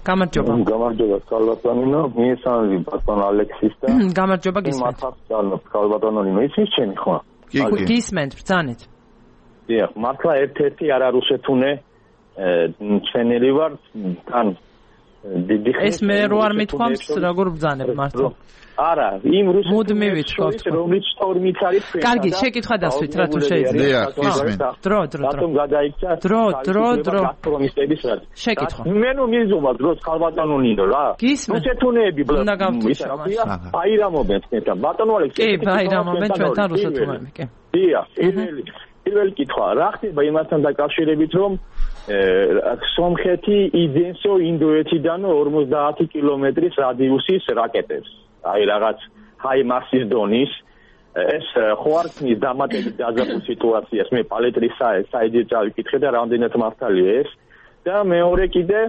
გამარჯობა. გამარჯობა, კალბატონინო. მიესალმები ბატონ ალექსის და გამარჯობა გისმენთ. მართავს კალბატონინო, იცის ჩემი ხო? გისმენთ ბრძანეთ. დიახ, მართლა ერთ-ერთი არა რუსეთუნე ჩვენელი ვარ თან დიდი ხნის ეს მე რო არ მithქვამს როგორ ბრძანებ მართლა. არა, იმ რუსეთს რომელიც სტორმით არის ჩვენ. კარგი, შეკითხვა დასვით რა თუ შეიძლება. დრო. რატომ გადაიქცა? დრო. გასტრომისტების რაც. შეკითხვა. მე ნუ მიზომა დროს ხალბატონო ნინო რა. რუსეთუნეები აირამობენ თქვენთან. ბატონო ალექსი. კი, აირამობენ ჩვენთან რუსეთუნეები, კი. დიახ, პირველი კითხვა, რა ხდება იმასთან დაკავშირებით, რომ სომხეთი იძენსო ინდოეთიდან 50 კილომეტრის რადიუსის რაკეტებს. აი რაღაც ჰაი მასის დონის ეს ხო არ ქმნის დამატებით დაძაბულ სიტუაციას. მე პალეტრის საიდით წავიკითხე და რამდენად მართალია ეს. და მეორე კიდე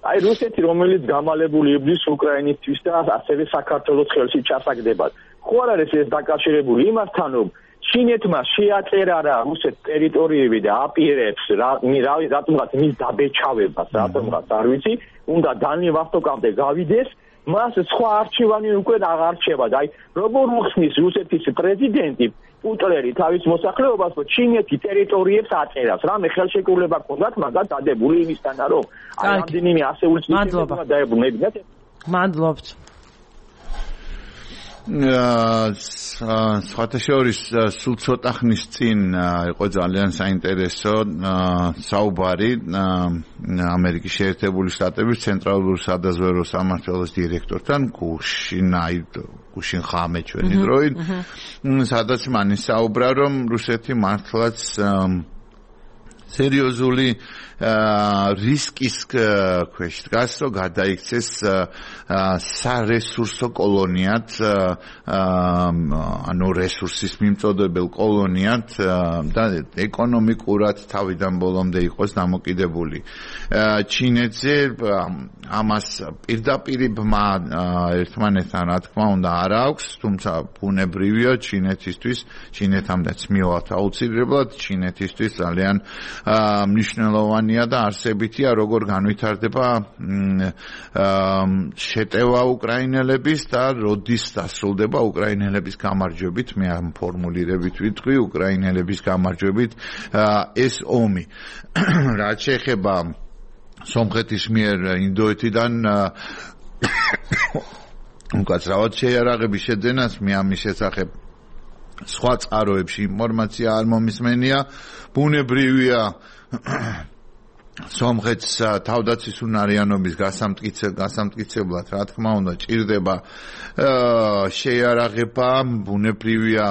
აი რუსეთი რომელიც გამალებული იბრძვის უკრაინისთვის და ასევე საქართველოს ხელში ჩასაგდებად. ხო არ არის ეს დაკავშირებული იმასთან რომ ჩინეთმა შეაწერა რა რუსეთ ტერიტორიები და აპირებს რატომღაც მის დაბეჭავებას რატომღაც არ ვიცი უნდა დანი ვასტოკამდე გავიდეს მას სხვა არჩევანი უკვე აღარ რჩება და აი როგორ უხსნის რუსეთის პრეზიდენტი პუტლერი თავის მოსახლეობას რომ ჩინეთი ტერიტორიებს აწერას რამე ხელშეკრულება ჰქონდათ მაგათ დადებული იმისთანა რომ აი რამდენიმე ასეული წელი დაებრუნებინათ მადლობთ სხვათაშორის სულ ცოტა ხნის წინ იყო ძალიან საინტერესო საუბარი ამერიკის შეერთებული შტატების ცენტრალურ სადაზვერვო სამმართველოს დირექტორთან გუშინ ხამე ჩვენი დროით სადაც მან ისაუბრა რომ რუსეთი მართლაც სერიოზული რისკის ქვეშ დგას, რომ გადაიქცეს სარესურსო კოლონიად, ანუ რესურსის მიმწოდებელ კოლონიად და ეკონომიკურად თავიდან ბოლომდე იყოს დამოკიდებული. ჩინეთზე ამას პირდაპირ ბმა ერთმანეთთან რა თქმა უნდა არ აქვს, თუმცა ბუნებრივია ჩინეთამდეც მივავთ აუცილებლად, ჩინეთისთვის ძალიან მნიშვნელოვანია და არსებითია როგორ განვითარდება შეტევა უკრაინელების და როდის დასრულდება უკრაინელების გამარჯვებით მე ამ ფორმულირებით ვიტყვი უკრაინელების გამარჯვებით ეს ომი რაც შეეხება სომხეთის მიერ ინდოეთიდან უკაცრავად შეიარაღების შეძენას მე ამის შესახებ სხვა წყაროებში ინფორმაცია არ მომისმენია ბუნებრივია სომხეთს თავდაცვის უნარიანობის გასამტკიცებლად რა თქმა უნდა ჭირდება შეიარაღება ბუნებრივია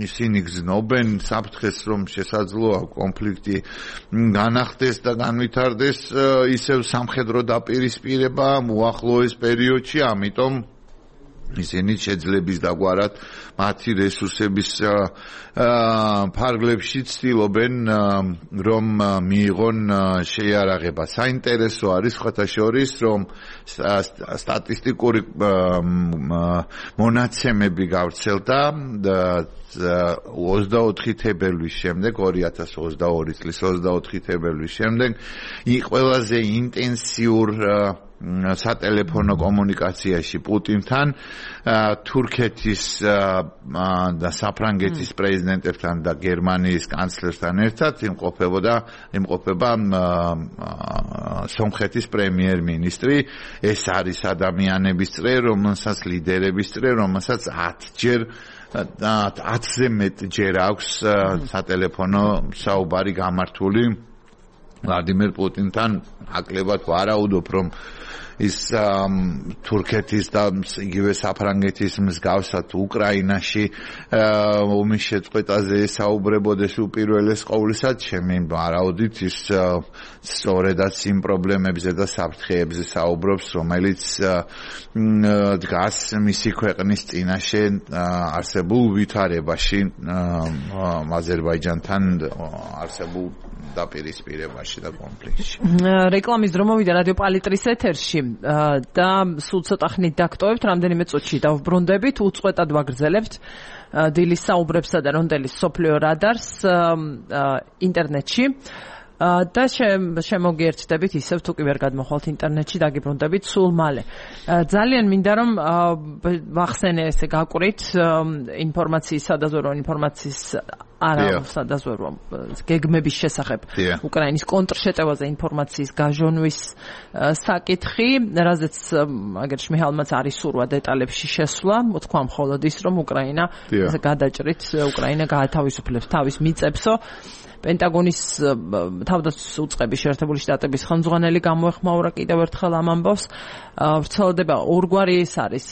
ისინი გზნობენ საფრთხეს რომ შესაძლოა კონფლიქტი განახდეს და განვითარდეს ისევ სამხედრო დაპირისპირება უახლოეს პერიოდში ამიტომ ისინი შეძლების დაგვარად მათი რესურსების ფარგლებში ცდილობენ რომ მიიღონ შეიარაღება. საინტერესო არის ხათაშორის რომ სტატისტიკური მონაცემები გავრცელდა 24 თებერვლის შემდეგ 2022 წლის 24 თებერვლის შემდეგ ყველაზე ინტენსიურ სატელეფონო კომუნიკაციაში პუტინთან თურქეთის და საფრანგეთის პრეზიდენტებთან და გერმანიის კანცლერთან ერთად იმყოფება სომხეთის პრემიერ-მინისტრი ეს არის ადამიანების წრე რომელსაც ლიდერების წრე რომელსაც 10-ზე მეტჯერ აქვს სატელეფონო საუბარი გამართული ვლადიმერ პუტინთან აკლებად ვარაუდობ რომ ის თურქეთის და იგივე საფრანგეთის მსგავსად უკრაინაში ომის შეწყვეტაზე საუბრებოდეს უპირველეს ყოვლისა ჩემი ვარაუდით ის სწორედაც იმ პრობლემებზე და საფრთხეებზე საუბრობს რომელიც დგას მისი ქვეყნის წინაშე არსებულ ვითარებაში აზერბაიჯანთან არსებულ დაპირისპირებაში და კონფლიქტში. რეკლამის დრო მოვიდა რადიო პალიტრის ეთერში და სულ ცოტა ხნით დაგტოვებთ, რამდენიმე წუთში დავბრუნდებით, უწყვეტად ვაგრძელებთ დილის საუბრებსა და რონდელის სოფლიო რადარს ინტერნეტში. და შემოგიერთდებით ისევ თუ კი ვერ გადმოხვალთ ინტერნეტში დაგიბრუნდებით სულ მალე. ძალიან მინდა რომ ვახსენე ესე გაკვირით ინფორმაციის სადაზვერვო ინფორმაციის არა სადაც ვერ გეგმების შესახებ უკრაინის კონტრშეტევაზე ინფორმაციის გაჟონვის საკითხი, რაზეც აგერ შმიჰალმაც არის სურვა დეტალებში შესვლა, მოთქვა მხოლოდ ის, რომ უკრაინა გადაჭრით უკრაინა გაათავისუფლებს თავის მიწებსო. პენტაგონის თავდაცვის უწყების შეერთებული შტატების ხელმძღვანელი გამოეხმაურა კიდევ ერთხელ ამ ამბავს. ვრცელდება ორგვარი ის არის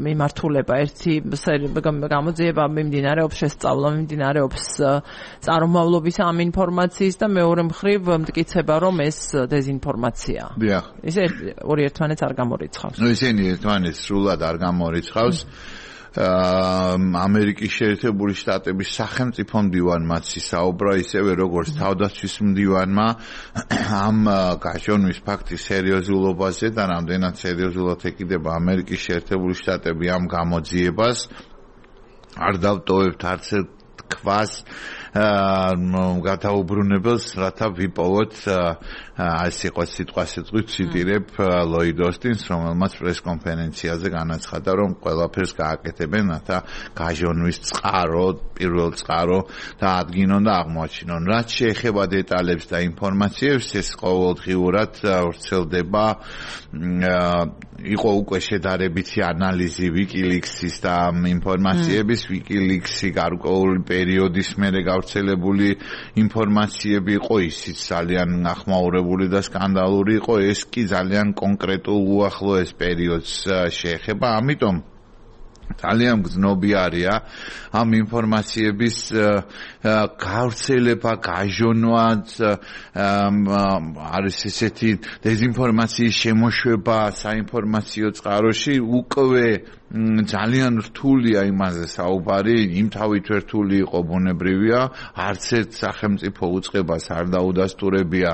მიმართულება, ერთი გამოძიება მიმდინარეობს, შესწავლა მიმდინარეობს წარმომავლობის ამ ინფორმაციის და მეორე მხრივ მტკიცება, რომ ეს დეზინფორმაციაა. ეს ორი ერთმანეთს არ გამორიცხავს. ისინი ერთმანეთს სრულად არ გამორიცხავს. ამერიკის შეერთებული შტატების სახელმწიფო მდივანმაც ისაუბრა ისევე როგორც თავდაცვის მდივანმა ამ გაჟონვის ფაქტის სერიოზულობაზე და რამდენად სერიოზულად ეკიდება ამერიკის შეერთებული შტატები ამ გამოძიებას. არ დავტოვებთ არც ერთ ქვას გადაუბრუნებელს, რათა ვიპოვოთ ეს იყო სიტყვასიტყვით ციტირებ ლოიდ ოსტინს, რომელმაც პრესკონფერენციაზე განაცხადა, რომ ყველაფერს გააკეთებენ, რათა გაჟონვის წყარო, პირველ წყარო დაადგინონ და აღმოაჩინონ. რაც შეეხება დეტალებს და ინფორმაციებს, ეს ყოველდღიურად ვრცელდება. იყო უკვე შედარებითი ანალიზი WikiLeaks-ის და ინფორმაციების, WikiLeaks-ი გარკვეული პერიოდის მერე გავრცელებული ინფორმაციები იყო, ისიც ძალიან ახმაურებული და სკანდალური იყო, ეს კი ძალიან კონკრეტულ უახლოეს პერიოდს შეეხება, ამიტომ ძალიან გრძნობიარია ამ ინფორმაციების გავრცელება, გაჟონვაც, არის ესეთი დეზინფორმაციის შემოშვება საინფორმაციო წყაროში, უკვე ძალიან რთულია იმაზე საუბარი, იმთავით რთული იყო ბუნებრივია, არც ერთ სახელმწიფო უწყებას არ დაუდასტურებია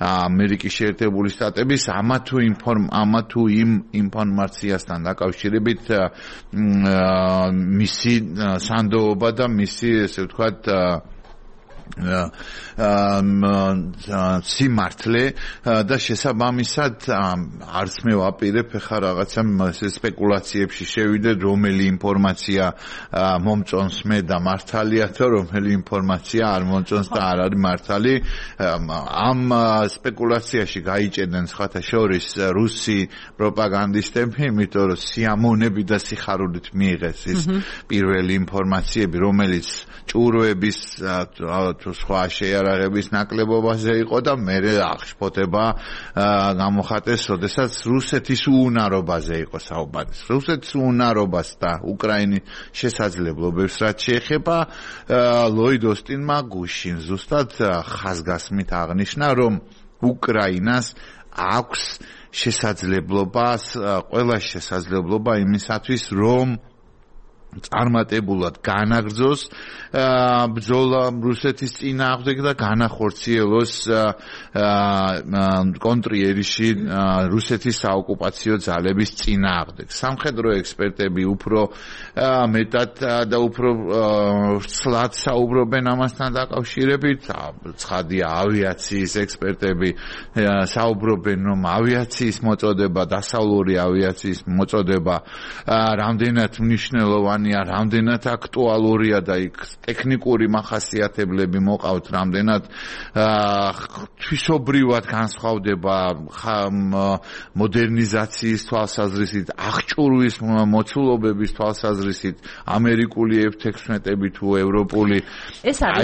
ამერიკის შეერთებული შტატების ამა თუ იმ ინფორმაციასთან დაკავშირებით მისი სანდოობა და მისი ესე ვთქვათ სიმართლე და შესაბამისად არც მე ვაპირებ ხა რაღაცა სპეკულაციებში შევიდეთ, რომელი ინფორმაცია მომწონს მე და მართალია თუ რომელი ინფორმაცია არ მომწონს და არ არის მართალი. ამ სპეკულაციაში გაიჭედნენ სხვათა შორის რუსი პროპაგანდისტები, იმიტომ რომ სიამონები და სიხარულით მიიღეს ის პირველი ინფორმაციები, რომელიც ჭურვების თუ სხვა შეიარაღების ნაკლებობაზე იყო და მერე აღშფოთება გამოხატეს, როდესაც რუსეთის უუნარობაზე იყო საუბარი. რუსეთის უუნარობას და უკრაინის შესაძლებლობებს რაც შეეხება, ლოიდ ოსტინმა გუშინ ზუსტად ხაზგასმით აღნიშნა, რომ უკრაინას აქვს შესაძლებლობა, ყველა შესაძლებლობა იმისათვის, რომ წარმატებულად განაგრძოს ბრძოლა რუსეთის წინააღმდეგ და განახორციელოს კონტრიერიში რუსეთის საოკუპაციო ძალების წინააღმდეგ. სამხედრო ექსპერტები უფრო მეტად და უფრო ცლად საუბრობენ ამასთან დაკავშირებით. ცხადია, ავიაციის ექსპერტები საუბრობენ, რომ ავიაციის მოწოდება, დასავლური ავიაციის მოწოდება რამდენად მნიშვნელოვანია, რამდენად აქტუალურია და იქ ტექნიკური მახასიათებლები მოყავთ, რამდენად თვისობრივად განსხვავდება მოდერნიზაციის თვალსაზრისით, აღჭურვის მოცულობების თვალსაზრისით ამერიკული F-16-ები თუ ევროპული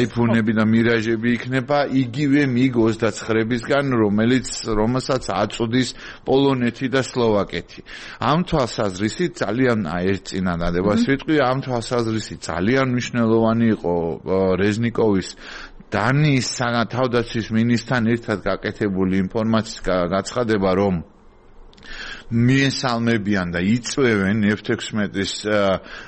iPhone-ები და მირაჟები იქნება იგივე MiG-29-ისგან, რომელსაც აწვდის პოლონეთი და სლოვაკეთი. ამ თვალსაზრისით ძალიან ერთ წინადადებას ვიტყვი, ამ თვალსაზრისით ძალიან მნიშვნელოვანი იყო რეზნიკოვის დანიის თავდაცვის მინისტრთან ერთად გაკეთებული ინფორმაციის გაცხადება, რომ მიესალმებიან და იწვევენ F-16-ის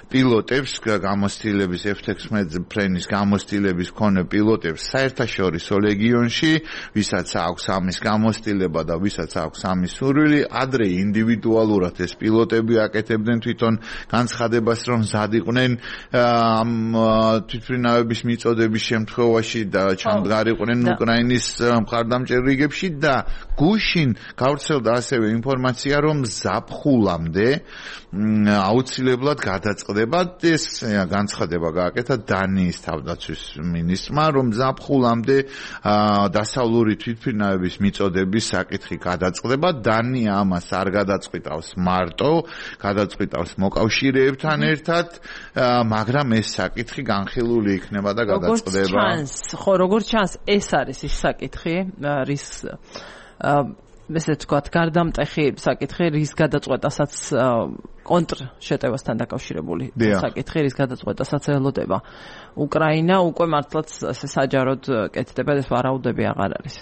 პილოტებს, გამოცდილების F-16 ფრენის გამოცდილების მქონე პილოტებს საერთაშორისო ლეგიონში, ვისაც აქვს ამის გამოცდილება და ვისაც აქვს ამის სურვილი, ადრე ინდივიდუალურად ეს პილოტები აკეთებდნენ თვითონ განცხადებას, რომ მზად იყვნენ ამ თვითმფრინავების მიწოდების შემთხვევაში და ჩამდგარიყვნენ უკრაინის მხარდამჭერ რიგებში და გუშინ გავრცელდა ასევე ინფორმაცია, რომ რომ ზაფხულამდე აუცილებლად გადაწყდება ეს განცხადება გააკეთა დანიის თავდაცვის მინისტრმა, რომ ზაფხულამდე დასავლური თვითმფრინავების მიწოდების საკითხი გადაწყდება. დანია ამას არ გადაწყვიტავს მარტო, გადაწყვიტავს მოკავშირეებთან ერთად, მაგრამ ეს საკითხი განხილული იქნება და გადაწყდება. როგორც ჩანს, ეს არის ის საკითხი, რის ესე ვთქვათ, გარდამტეხი საკითხი, რის გადაწყვეტასაც კონტრშეტევასთან დაკავშირებული საკითხი, რის გადაწყვეტასაც ელოდება უკრაინა, უკვე მართლაც ესე საჯაროდ კეთდება, ეს ვარაუდები აღარ არის.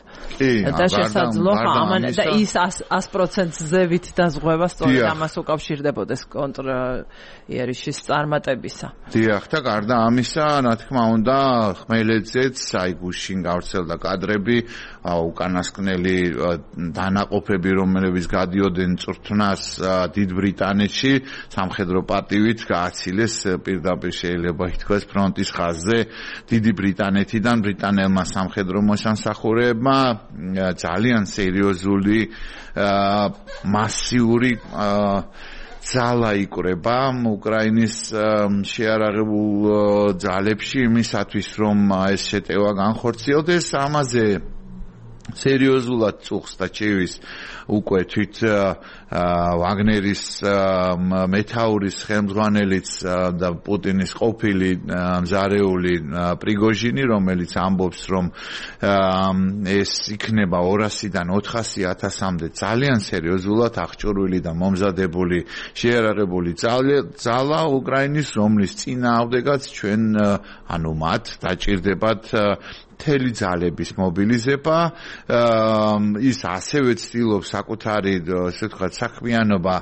და შესაძლოა ამან და ის 100%-ზე ზევით დაზღვევა სწორედ ამას უკავშირდებოდეს კონტრიერიშის წარმატებისა. დიახ, და გარდა ამისა, რა თქმა უნდა, ხმელეთზეც აი გუშინ გავრცელდა კადრები, უკანასკნელი დანაყოფები, რომლებიც გადიოდნენ წვრთნას დიდ ბრიტანეთში, სამხედრო პატივით გააცილეს პირდაპირ შეიძლება ითქვას ფრონტის ხაზზე დიდი ბრიტანეთიდან ბრიტანელმა სამხედრო მოსამსახურეებმა ძალიან სერიოზული მასიური ძალა იკვრება უკრაინის შეარაღებულ ძალებში იმისათვის რომ ეს შეტევა განხორციელდეს ამაზე სერიოზულად წუხს და ჩევის უკვე თვით ვაგნერის მეთაურის ხელმძღვანელიც და პუტინის ყოფილი მზარეული პრიგოჟინი, რომელიც ამბობს, რომ ეს იქნება 200-დან 400,000-მდე ძალიან სერიოზულად აღჭურვილი და მომზადებული შეიარაღებული ძალა უკრაინის, რომლის წინააღმდეგაც ჩვენ ანუ მათ დაჭირდებათ მთელი ძალების მობილიზება. ის ასევე ცდილობს საკუთარი ესე ვთქვათ საქმიანობა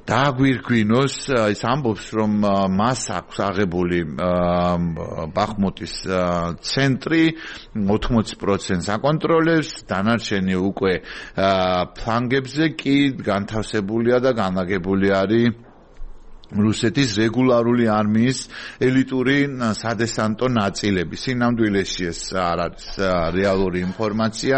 დააგვირგვინოს. ის ამბობს, რომ მას აქვს აღებული ბახმუტის ცენტრი 80% აკონტროლებს, დანარჩენი უკვე ფლანგებზე კი განთავსებულია და განლაგებული არის რუსეთის რეგულარული არმიის ელიტური სადესანტო ნაწილები. სინამდვილეში ეს არ არის რეალური ინფორმაცია.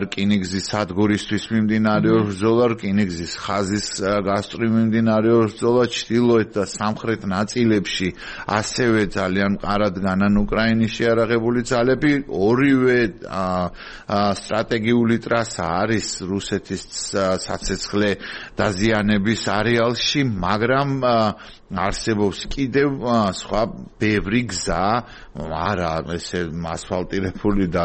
რკინიგზის სადგურისთვის მიმდინარეობს ბრძოლა, რკინიგზის ხაზის გასწვრივ მიმდინარეობს ბრძოლა, ჩრდილოეთ და სამხრეთ ნაწილებში ასევე ძალიან მყარად განან უკრაინის შეარაღებული ძალები. ორივე სტრატეგიული ტრასა არის რუსეთის საცეცხლე დაზიანების არეალში, მაგრამ არსებობს კიდევ სხვა ბევრი გზა, არა ესე ასფალტირებული და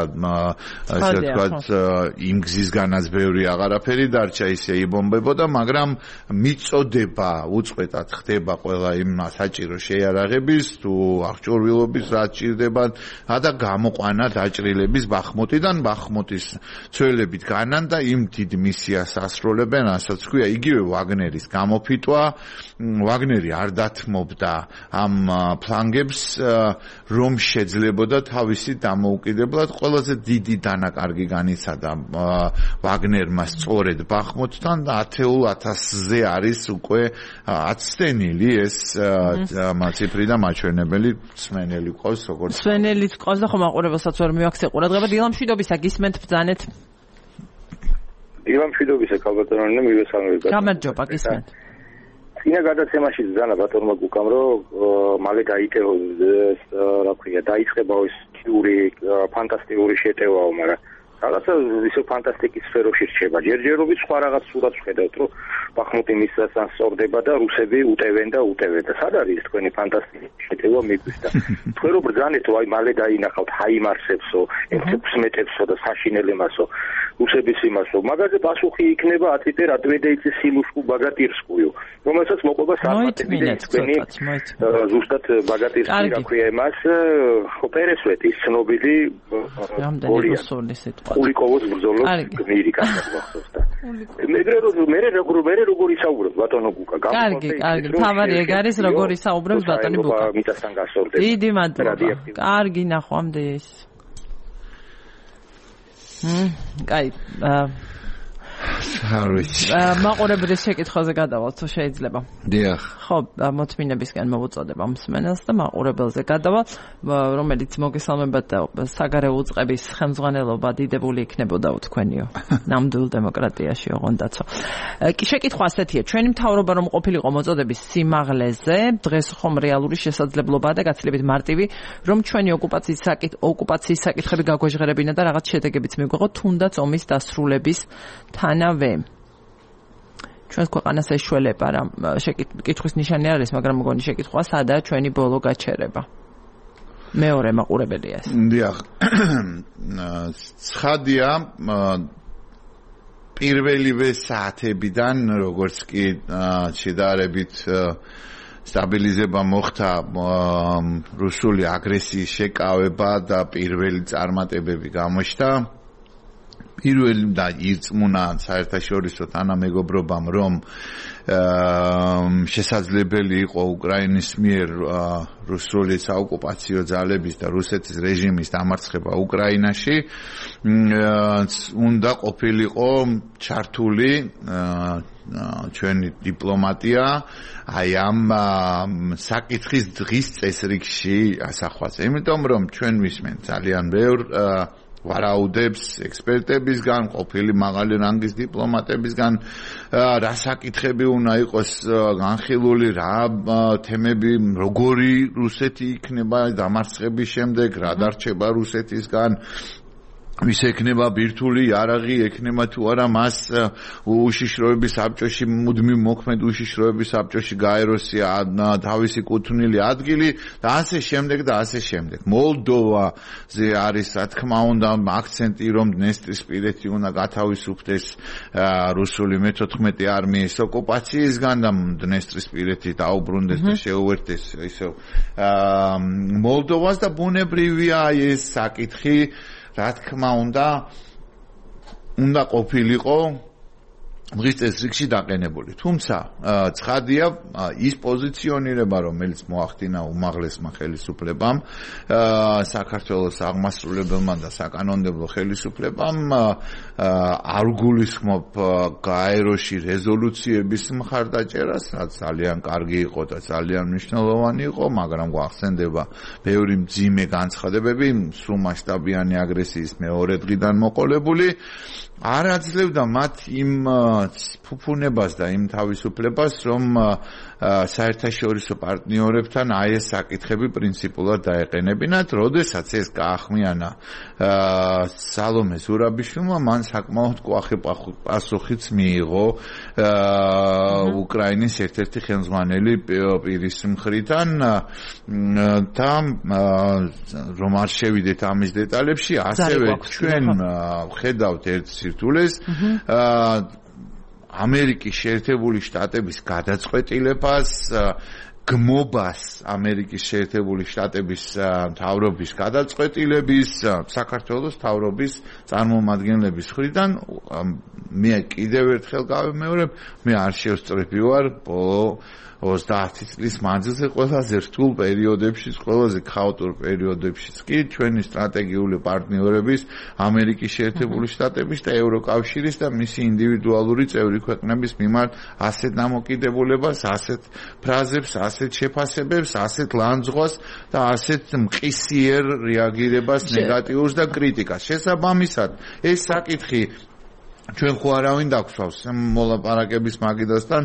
ასე ვთქვათ იმ გზისგანაც ბევრი აღარაფერი დარჩა, ისე იბომბებოდა, მაგრამ მიწოდება უწყვეტად ხდება ყველა იმ საჭირო შეიარაღების თუ აღჭურვილობის რაც ჭირდებათ და გამოყვანა დაჭრილების ბახმუტიდან, ბახმუტის ცველებით განან და იმ დიდ მისიას ასრულებენ, ასაც ქვია იგივე ვაგნერის გამოფიტვა. ვაგნერი არ დათმობდა ამ ფლანგებს, რომ შეძლებოდა თავისი დამოუკიდებლად. ყველაზე დიდი დანაკარგი განიცადა ვაგნერმა სწორედ ბახმუტთან და 10,000-ზე არის უკვე აცდენილი ეს ციფრი და მაჩვენებელი. სვენელი ყავს როგორც სვენელიც ყავს და ხომ აყურებელსაც ვერ მივაქცე ყურადღება. დილამშვიდობისა გისმენთ ბრძანეთ. დილამშვიდობისა ქალბატონო მივესალმებით. გამარჯობა გისმენთ. წინა გადაცემაში ზანა ბატონმა გუკამ რომ მალე დაიწყებოს რა ქვია დაიწყება ეს ფანტასტიკური შეტევაო, მაგრამ რაღაცა ისე ფანტასტიკის სფეროში რჩება. ჯერჯერობით სხვა რაღაც სურათს ხედავთ, რომ ბახმუტი მისასთან სწორდება და რუსები უტევენ და უტევენ. და სად არის თქვენი ფანტასტიკური შეტევა მიგვის და თქვენ რო ბრძანეთო, აი მალე დაინახავთ ჰაიმარსებსო, F-16-ებსო და საშინელებასო, რუსების იმასო. მაგაზე პასუხი იქნება ათიტე რატვედეიცის სილუშკუ ბაგატირსკუიო, რომელსაც მოყვება სარმატები და თქვენი ზუსტად ბაგატირსკი რა ქვია იმას ოპერესვეთის ცნობილი კულიკოვოს ბრძოლოს გმირი გახსოვს და მე როგორ ისაუბრებ ბატონო გუკა კარგი თავარი ეგ არის როგორ ისაუბრებს ბატონი გუკა მიწასთან გასწორდეს დიდი მადლობა კარგი ნახვამდის კაი არ ვიცი. მაყურებლის შეკითხვაზე გადავალთ თუ შეიძლება. დიახ. ხო, მოთმინებისგან მოვუწოდებ ამ მსმენელს და მაყურებელზე გადავალ, რომელიც მოგესალმებათ საგარეო უწყების ხელმძღვანელობა დიდებული იქნებოდა თქვენიო. ნამდვილ დემოკრატიაში ოღონდაცო. კი შეკითხვა ასეთია, ჩვენი მთავრობა რომ ყოფილიყო მოწოდების სიმაღლეზე, დღეს ხომ რეალური შესაძლებლობაა და გაცილებით მარტივი, რომ ჩვენი ოკუპაციის საკითხები გაგვეჟღერებინა და რაღაც შედეგებიც მიგვეღო, თუნდაც ომის დასრულების თანავე. ჩვენს ქვეყანას ეშველება რა კითხვის ნიშანი არის, მაგრამ მგონი შეკითხვა სადაა ჩვენი ბოლო გაჩერება. მეორე მაყურებელია ეს. დიახ. ცხადია პირველივე საათებიდან როგორც კი შედარებით სტაბილიზება მოხდა რუსული აგრესიის შეკავება და პირველი წარმატებები გამოჩნდა. პირველი და ირწმუნა საერთაშორისო თანამეგობრობამ, რომ შესაძლებელი იყო უკრაინის მიერ რუსული საოკუპაციო ძალების და რუსეთის რეჟიმის დამარცხება უკრაინაში, უნდა ყოფილიყო ჩართული ჩვენი დიპლომატია აი ამ საკითხის დღის წესრიგში ასახვაზე. იმიტომ რომ ჩვენ ვისმენთ ძალიან ბევრ ვარაუდებს ექსპერტებისგან, ყოფილი მაღალი რანგის დიპლომატებისგან, რა საკითხები უნდა იყოს განხილული, რა თემები, როგორი რუსეთი იქნება დამარცხების შემდეგ, რა დარჩება რუსეთისგან, ვის ექნება ბირთვული იარაღი, ექნება თუ არა მას უშიშროების საბჭოში, მუდმივ მოქმედ უშიშროების საბჭოში გაეროსია თავისი კუთვნილი ადგილი და ასე შემდეგ და ასე შემდეგ. მოლდოვაზე არის, რა თქმა უნდა, აქცენტი, რომ დნესტრისპირეთი უნდა გათავისუფლდეს რუსული მე-14 არმიის ოკუპაციისგან და დნესტრისპირეთი დაუბრუნდეს და შეუერთდეს ისევ მოლდოვას და ბუნებრივია ეს საკითხი, რა თქმა უნდა ყოფილიყო დღის წესრიგში დაყენებული. თუმცა ცხადია ის პოზიციონირება, რომელიც მოახდინა უმაღლესმა ხელისუფლებამ, საქართველოს აღმასრულებელმა და საკანონმდებლო ხელისუფლებამ, არ გულისხმობ გაეროში რეზოლუციების მხარდაჭერას, რაც ძალიან კარგი იყო და ძალიან მნიშვნელოვანი იყო, მაგრამ გვახსენდება ბევრი მძიმე განცხადებები სრულმასშტაბიანი აგრესიის მეორე დღიდან მოყოლებული, არ აძლევდა მათ იმ ფუფუნებას და იმ თავისუფლებას, რომ საერთაშორისო პარტნიორებთან აი ეს საკითხები პრინციპულად დაეყენებინათ. როდესაც ეს გაახმიანა სალომე ზურაბიშვილმა, მან საკმაოდ კვახე პასუხიც მიიღო უკრაინის ერთ-ერთი ხელმძღვანელი პირის მხრიდან და რომ არ შევიდეთ ამის დეტალებში, ასევე ჩვენ ხედავთ ერთ სირთულეს ამერიკის შეერთებული შტატების გადაწყვეტილებას, გმობას ამერიკის შეერთებული შტატების მთავრობის გადაწყვეტილების, საქართველოს მთავრობის წარმომადგენლების მხრიდან. მე კიდევ ერთხელ გავიმეორებ, მე არ შევსწრები ვარ 30 წლის მანძილზე ყველაზე რთულ პერიოდებშიც, ყველაზე ქაოტურ პერიოდებშიც კი ჩვენი სტრატეგიული პარტნიორების, ამერიკის შეერთებული შტატების და ევროკავშირის და მისი ინდივიდუალური წევრი ქვეყნების მიმართ ასეთ დამოკიდებულებას, ასეთ ფრაზებს, ასეთ შეფასებებს, ასეთ ლანძღვას და ასეთ მყისიერ რეაგირებას, ნეგატიურს და კრიტიკას. შესაბამისად, ეს საკითხი ჩვენ ხო არავინ დაგხვავს მოლაპარაკების მაგიდასთან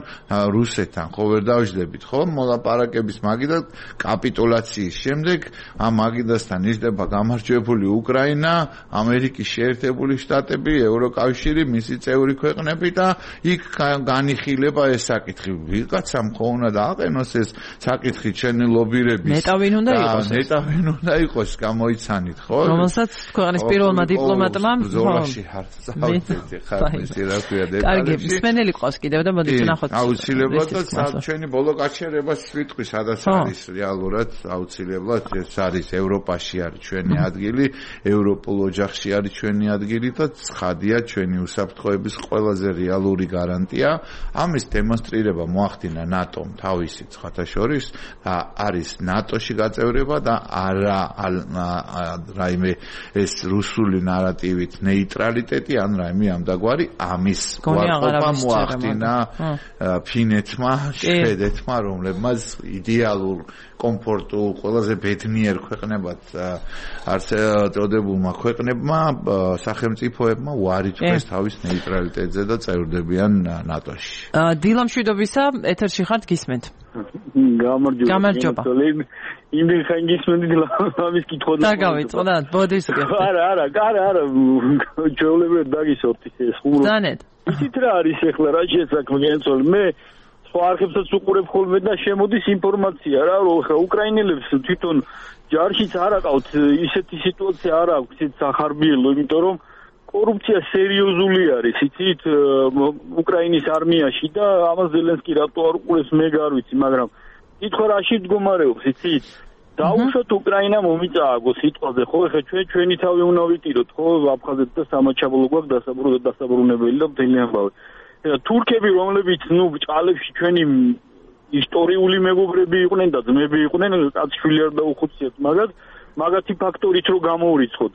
რუსეთთან, ხო ვერ დავждებით, ხო? მოლაპარაკების მაგიდა კაპიტულაციის შემდეგ ამ მაგიდასთან იჯდება გამარჯვებული უკრაინა, ამერიკის შეერთებული შტატები, ევროკავშირი, მისი წევრი ქვეყნები და იქ განიხილება ეს საკითხი. ვიღაცამ ხო უნდა დააყენოს ეს საკითხი ჩვენი ლობირების. ნეტავინ უნდა იყოს. ნეტავინ უნდა იყოს, გამოიცანით, ხო? რომელსაც ქვეყნის პირველმა დიპლომატმა ზოლაში հարցազրույցი კარგი, მსმენელი ყავს კიდევ და მოდით ნახოთ. აუცილებლად და ჩვენი ბოლო გაჩერებას ვიტყვი, სადაც არის რეალურად აუცილებლად ეს არის ევროპაში არის ჩვენი ადგილი, ევროპულ ოჯახში არის ჩვენი ადგილი და ცხადია ჩვენი უსაფრთხოების ყველაზე რეალური გარანტია. ამის დემონსტრირება მოახდინა ნატომ თავისი ცხადაშორის და არის ნატოში გაწევრება და არა რაიმე ეს რუსული ნარატივით ნეიტრალიტეტი ან რაიმე ამ ერთგვარი ამის უარყოფა მოახდინა ფინეთმა, შვედეთმა, რომლებმაც იდეალურ კომფორტულ, ყველაზე ბედნიერ ქვეყნებად არც წოდებულმა ქვეყნებმა სახელმწიფოებმა უარი თქვეს თავის ნეიტრალიტეტზე და წევრდებიან ნატოში. დილა მშვიდობისა, ეთერში ხართ, გისმენთ. გამარჯობა. იმენ ხან გისმენთ ამის კითხვა. დაგავიწყდა, ბოდის გიხდი. არა, ჩვეულებრივად დაგისვათ ეს ხუმრობა. დანეთ. იცით რა არის ახლა რა შესაქმე ენწოლ მე სხვა არხებსაც უყურებ ხოლმე და შემოდის ინფორმაცია რა რომ ხა უკრაინელებს თვითონ ჯარშიც არ აყავთ ისეთი სიტუაცია არ აქვს ისეთ სახარბიელო იმიტომ რომ კორუფცია სერიოზული არის იცით უკრაინის არმიაში და ამას ზელენსკი რატო არ უყურებს მე gar ვიცი მაგრამ კითხვა რაში მდგომარეობს იცით დაუშვათ უკრაინა მომიწააგო სიტყვაზე ხო ხა ჩვენი თავი უნდა ვიტიროთ ხო აფხაზეთს და სამაჩაბლო გვაქვს დასაბრუნებელი და მთელი ამბავი თურქები რომლებიც ნუ ჭალებში ჩვენი ისტორიული მეგობრები იყვნენ და ძმები იყვნენ კაცშვილი არ დაუხუციათ მაგათი ფაქტორით რო გამოურიცხოთ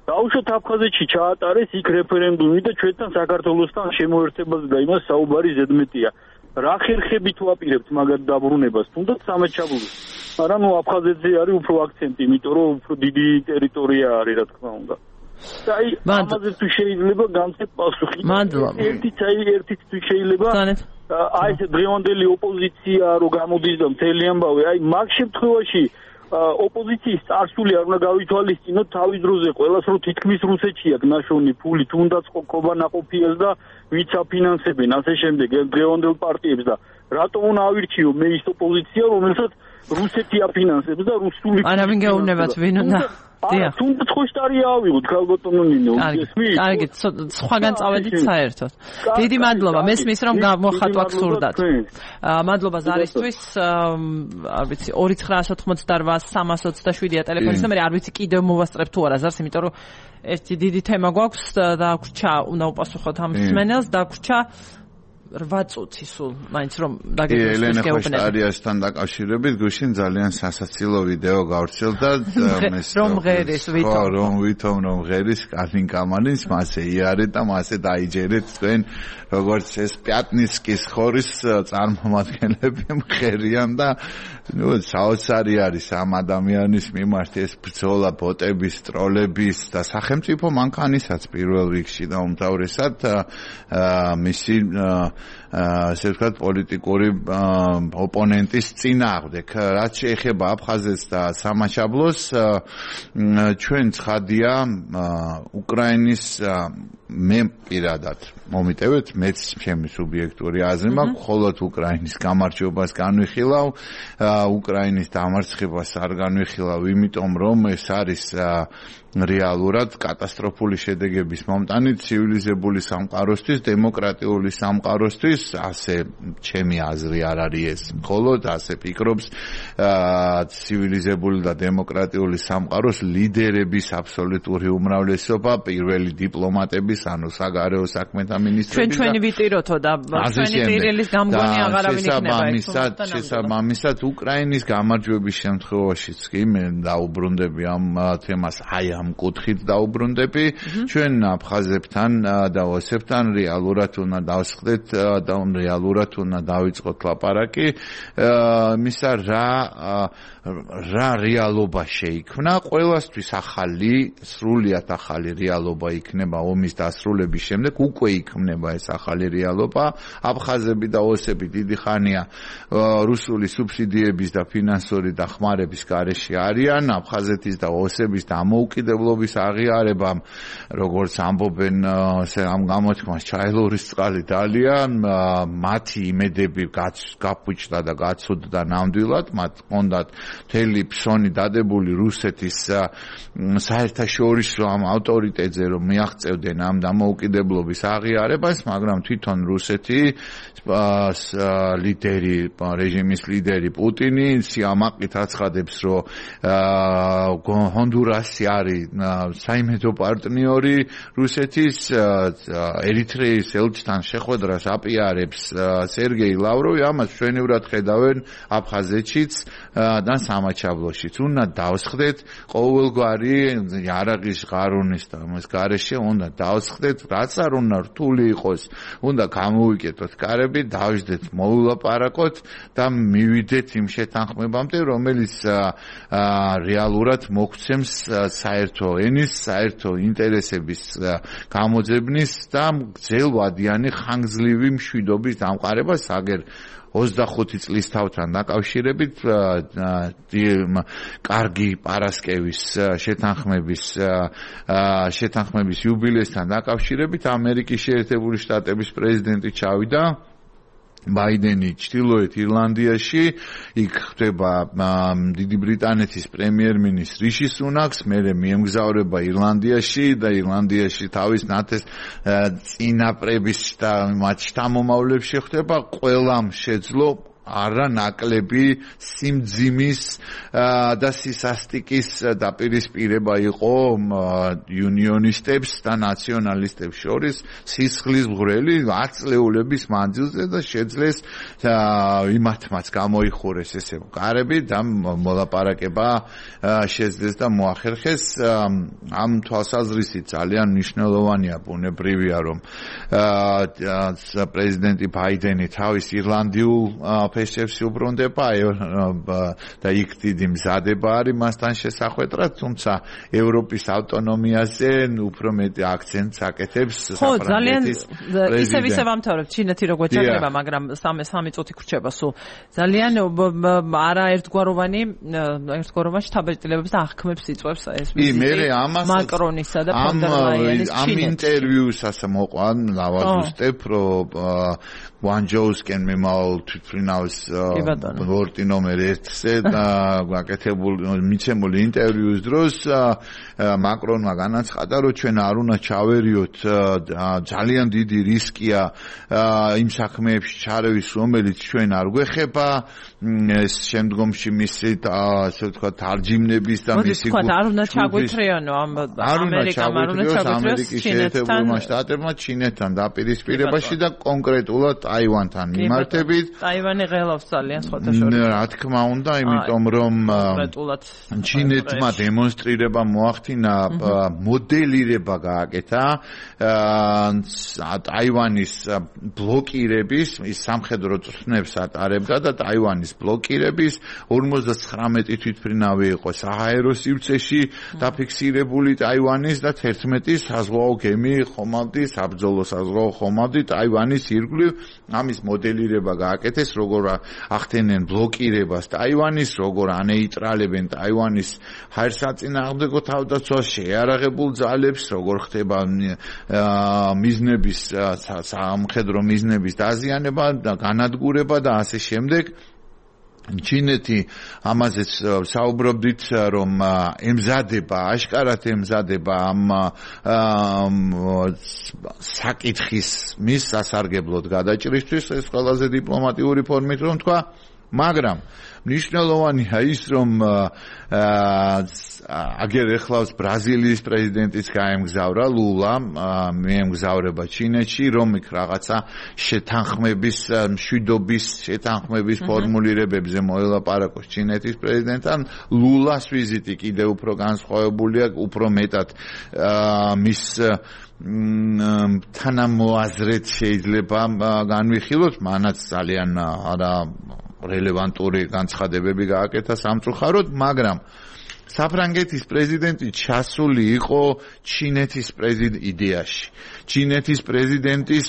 დაუშვათ აფხაზეთში ჩაატარეს იქ რეფერენდუმი და ჩვენთან საქართველოსთან შემოერთებაზე და იმას საუბარი ზედმეტია რა ხერხებით ვაპირებთ მაგათ დაბრუნებას თუნდაც სამაჩაბლოს მაგრამ ნუ აფხაზეთზე არის უფრო აქცენტი იმიტომ რომ უფრო დიდი ტერიტორია არის რა თქმა უნდა აი ამაზე თუ შეიძლება განცეთ პასუხი ერთიც თუ შეიძლება აი ეს დღევანდელი ოპოზიცია რო გამოდის და მთელი ამბავი აი მაგ შემთხვევაში ოპოზიციის წარსული არ უნდა გავითვალისწინოთ თავის დროზე ყველას რო თითქმის რუსეთში აქვს ნაშოვნი ფული თუნდაც ყობანაყოფიას და ვიც აფინანსებენ ასე შემდეგ დღევანდელ პარტიებს და რატომ უნდა ავირჩიო მე ის ოპოზიცია რომელსაც რუსეთი აფინანსებს და რუსული არავინ გეუბნებათ ვინ უნდა დიახ თუნდაც ხოშტარია ავიღოთ ქალბატონო ნინო ესმის კარგი სხვაგან წავედით საერთოდ დიდი მადლობა მესმის რომ გამოხატვა გსურდათ მადლობა ზარისთვის არ ვიცი 2988-327-ია ტელეფონის ნომერი არ ვიცი კიდევ მოვასწრებ თუ არა ზარს იმიტომ რომ ერთი დიდი თემა გვაქვს და გვჭა უნდა უპასუხოთ ამ მსმენელს და გვჭა 8 წუთი სულ მაინც რომ დაგეგმოს ელენე ხოშტარიასთან დაკავშირებით გუშინ ძალიან სასაცილო ვიდეო გავრცელდა რომ ღერის ვითომ რომ ღერის კალინ კამანის მასე იარეთ და მასე დაიჯერეთ თქვენ როგორც ეს პიატნიცკის ხორის წარმომადგენლები მღერიან და ნუ საოცარი არის ამ ადამიანის მიმართ ეს ბრძოლა ბოტების ტროლების და სახელმწიფო მანქანისაც პირველ რიგში და უმთავრესად მისი ასე ვთქვათ პოლიტიკური ოპონენტის წინააღმდეგ რაც შეეხება აფხაზეთს და სამაჩაბლოს ჩვენ ცხადია უკრაინის მე პირადად მომიტევეთ მეც ჩემი სუბიექტური აზრი მაქვს მხოლოდ უკრაინის გამარჯვებას განვიხილავ უკრაინის დამარცხებას არ განვიხილავ იმიტომ რომ ეს არის რეალურად კატასტროფული შედეგების მომტანი ცივილიზებული სამყაროსთვის დემოკრატიული სამყაროსთვის ასე ჩემი აზრი არ არის ეს მხოლოდ ასე ფიქრობს ცივილიზებული და დემოკრატიული სამყაროს ლიდერების აბსოლუტური უმრავლესობა პირველი დიპლომატების ანუ საგარეო საქმეთა მინისტრები ჩვენი ვიტიროთო და ჩვენი ტირილის გამგონი აღარავინ იქნება შესაბამისად უკრაინის გამარჯვების შემთხვევაშიც კი მე დაუბრუნდები ამ თემას აი ამ კუთხით დაუბრუნდები ჩვენ აფხაზებთან და ოსებთან რეალურად უნდა დავსხდეთ და რეალურად უნდა დავიწყოთ ლაპარაკი მისა რა რეალობა შეიქმნა ყველასთვის ახალი სრულიად ახალი რეალობა იქნება ომის დასრულების შემდეგ უკვე იქნება ეს ახალი რეალობა აფხაზები და ოსები დიდი ხანია რუსული სუბსიდიების და ფინანსური დახმარების გარეშე არიან აფხაზეთის და ოსების დამოუკიდებლობის აღიარებამ როგორც ამბობენ ამ გამოთქმას ჩაილორის წყალი დალია მათი იმედები გაფუჭდა და გაცუდდა ნამდვილად მათ ჰქონდათ მთელი ფსონი დადებული რუსეთის საერთაშორისო ამ ავტორიტეტზე რომ მიაღწევდნენ ამ დამოუკიდებლობის აღიარებას მაგრამ თვითონ რუსეთი ლიდერი რეჟიმის ლიდერი პუტინი სიამაყით აცხადებს რომ ჰონდურასი არის საიმედო პარტნიორი რუსეთის ერიტრეის ელჩთან შეხვედრას აპიარებს სერგეი ლავროვი, ამას ჩვენივრად ხედავენ აფხაზეთშიც და სამაჩაბლოშიც. უნდა დავსხდეთ ყოველგვარი იარაღის ღარონის და ამას გარეშე უნდა დავსხდეთ, რაც არ უნდა რთული იყოს, უნდა გამოვიკეთოთ კარები, დავждეთ, მოვილაპარაკოთ და მივიდეთ იმ შეთანხმებამდე, რომელიც რეალურად მოგცემს საერთო ენის, საერთო ინტერესების გამოძებნის და გრძელვადიანი ხანგრძლივი მშვიდობის დამყარებას, აგერ 25 წლის თავთან დაკავშირებით კარგი პარასკევის შეთანხმების იუბილეისთან დაკავშირებით ამერიკის შეერთებული შტატების პრეზიდენტი ჩავიდა ბაიდენი ჩრდილოეთ ირლანდიაში, იქ ხდება დიდი ბრიტანეთის პრემიერ-მინისტრ რიში სუნაკს, მერე მიემგზავრება ირლანდიაში და ირლანდიაში თავის წინაპრების და მათ შთამომავლებს შეხვდება, ყველამ შეძლო არანაკლები სიმძიმის და სისასტიკის დაპირისპირება იყო იუნიონისტებს და ნაციონალისტებს შორის სისხლის მღვრელი 10 წლეულების მანძილზე და შეძლეს იმათმაც გამოიხურეს ესე კარები და მოლაპარაკება შეძლეს და მოახერხეს. ამ თვალსაზრისით ძალიან მნიშვნელოვანია, ბუნებრივია, რომ პრეზიდენტი ბაიდენი თავის ირლანდიულ ფესტებს უბრუნდება და იქ დიდი მზადება არის მასთან შესახვედრად, თუმცა ევროპის ავტონომიაზე უფრო მეტი აქცენტს აკეთებს საფრანგეთის პრეზიდენტი. ისე ვამთავრებთ ჩინეთი როგორ ჩაგდება, მაგრამ 3 წუთი გრჩება სულ. ძალიან არა ერთგვაროვანი შთაბეჭდილებებს და აღქმებს იწვევს ეს მაკრონისა და ფონ დერ ლაიენის ამ ინტერვიუსაც მოყვა ლავაზუსტებ, რომ ვანჯოუსკენ მემავალ თვითმფრინავის ბორტი ნომერ 1-ზე და მიცემული ინტერვიუს დროს მაკრონმა განაცხადა, რომ ჩვენ არ უნდა ჩავერიოთ, ძალიან დიდი რისკია იმ საქმეებში ჩარევის, რომელიც ჩვენ არ გვეხება, ეს შემდგომში მისი ასე ვთქვათ თარჯიმნების და მისი არ უნდა ჩაგვეთრეანო ამერიკის შეერთებულმა შტატებმა ჩინეთთან დაპირისპირებაში და კონკრეტულად ტაივანთან მიმართებით. ტაივანი ღელავს ძალიან სხვადასხვა. რა თქმა უნდა, იმიტომ რომ ჩინეთმა დემონსტრირება მოახდინა, მოდელირება გააკეთა ტაივანის ბლოკირების, ის სამხედრო წვრთნებს ატარებდა და ტაივანის ბლოკირების 59 თვითმფრინავი იყო საჰაერო სივრცეში დაფიქსირებული ტაივანის და 11 საზღვაო გემი ხომალდი, საბრძოლო საზღვაო ხომალდი ტაივანის ირგვლივ. ამის მოდელირება გააკეთეს, როგორ ახდენენ ბლოკირებას ტაივანის, როგორ ანეიტრალებენ ტაივანის ჰაერსაწინააღმდეგო თავდაცვას, შეიარაღებულ ძალებს, როგორ ხდება მიზნების სამხედრო მიზნების დაზიანება და განადგურება და ასე შემდეგ. ჩინეთი ამაზეც საუბრობდით, რომ ემზადება, აშკარად ემზადება ამ საკითხის მის სასარგებლოდ გადაჭრისთვის, ეს ყველაზე დიპლომატიური ფორმით რომ თქვა, მაგრამ მნიშვნელოვანია ის, რომ აგერ ეხლავს ბრაზილიის პრეზიდენტის გაემგზავრა ლულა, მიემგზავრება ჩინეთში, რომ იქ რაღაცა შეთანხმების, მშვიდობის შეთანხმების ფორმულირებებზე მოელაპარაკოს ჩინეთის პრეზიდენტთან. ლულას ვიზიტი კიდევ უფრო განსხვავებულია, უფრო მეტად მის თანამოაზრეთ შეიძლება განვიხილოთ, მანაც ძალიან არა რელევანტური განცხადებები გააკეთა სამწუხაროდ, მაგრამ საფრანგეთის პრეზიდენტი ჩასული იყო ჩინეთის იდეაში. ჩინეთის პრეზიდენტის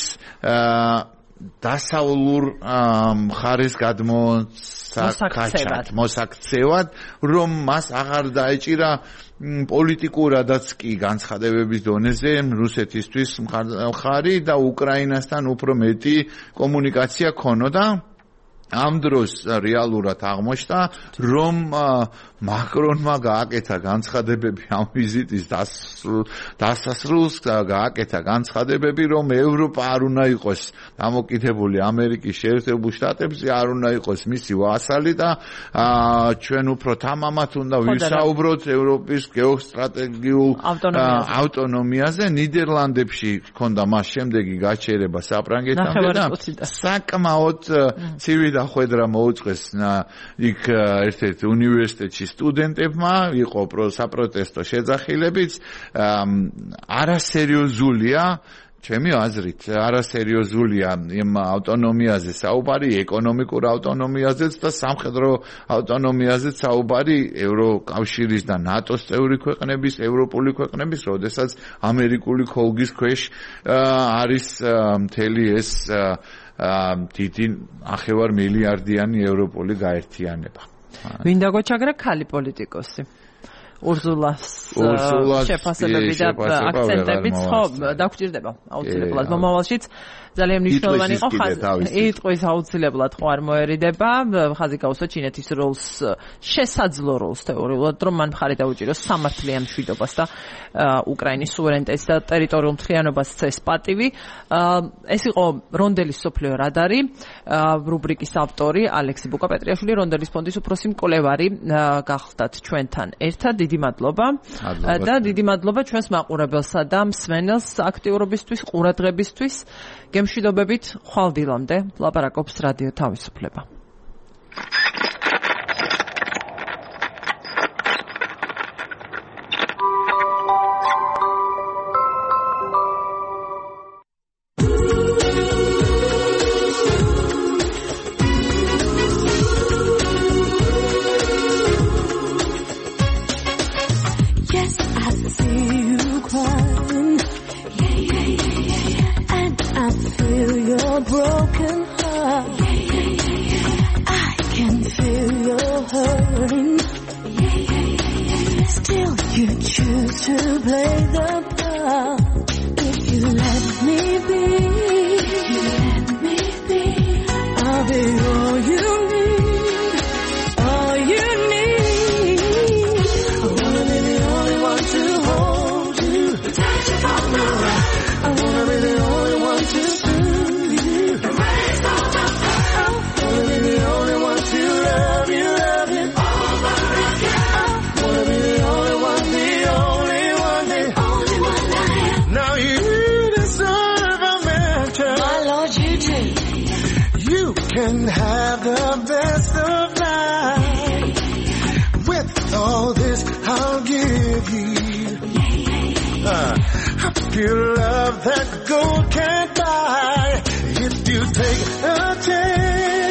დასავლურ მხარეს მოსაქცევად, რომ მას აღარ დაეჭირა პოლიტიკურადაც კი განცხადებების დონეზე რუსეთისთვის მხარი და უკრაინასთან უფრო მეტი კომუნიკაცია ქონოდა. ამ დროს რეალურად აღმოჩნდა, რომ მაკრონმა გააკეთა განცხადებები ამ ვიზიტის დასასრულს გააკეთა განცხადებები, რომ ევროპა არ უნდა იყოს დამოკიდებული ამერიკის შეერთებულ შტატებზე, არ უნდა იყოს მისი ვასალი და ჩვენ უფრო თამამად უნდა ვისაუბროთ ევროპის გეოსტრატეგიულ ავტონომიაზე. ნიდერლანდებში ჰქონდა მას შემდეგი გაჩერება საფრანგეთამდე და საკმაოდ ცივი დახვედრა მოუწყვეს იქ ერთ-ერთ უნივერსიტეტში სტუდენტებმა, იყო საპროტესტო შეძახილებიც. არასერიოზულია, ჩემი აზრით, არასერიოზულია იმ ავტონომიაზე საუბარი, ეკონომიკურ ავტონომიაზეც და სამხედრო ავტონომიაზეც საუბარი ევროკავშირის და ნატოს წევრი ქვეყნების, ევროპული ქვეყნების, როდესაც ამერიკული ხოლგის ქვეშ არის მთელი ეს დიდი 9 მილიარდიანი ევროპული გაერთიანება. ვინდა გოჩაგრა ქალი პოლიტიკოსი. ურზულას შეფასებები და აქცენტებიც ხო დაგჭირდება აუცილებლად მომავალშიც ძალიან მნიშვნელოვანი იყო იტყვის აუცილებლად ხო არ მოერიდება ხაზი გაუსვა ჩინეთის როლს შესაძლო როლს თეორიულად რომ მან მხარი დაუჭიროს სამართლიან მშვიდობას და უკრაინის სუვერენიტეტს და ტერიტორიულ მთლიანობას წეს პატივი ეს იყო რონდელის სოფლიო რადარი რუბრიკის ავტორი ალექსი ბუკაპეტრიაშვილი რონდელის ფონდის უფროსი მკვლევარი გახდათ ჩვენთან ერთად დიდი მადლობა და დიდი მადლობა ჩვენს მაყურებელსა და მსმენელს აქტიურობისთვის ყურადღებისთვის გემშვიდობებით ხვალ დილამდე ლაპარაკობს რადიო თავისუფლება broken heart. I can feel your hurting. Still you choose to play the part. If you let me be, I'll be all you need, all you need. I wanna be the only one to hold you, touch you from the right. I wanna be the only one to can have the best of life. With all this I'll give you a pure love that gold can't buy. If you take a chance,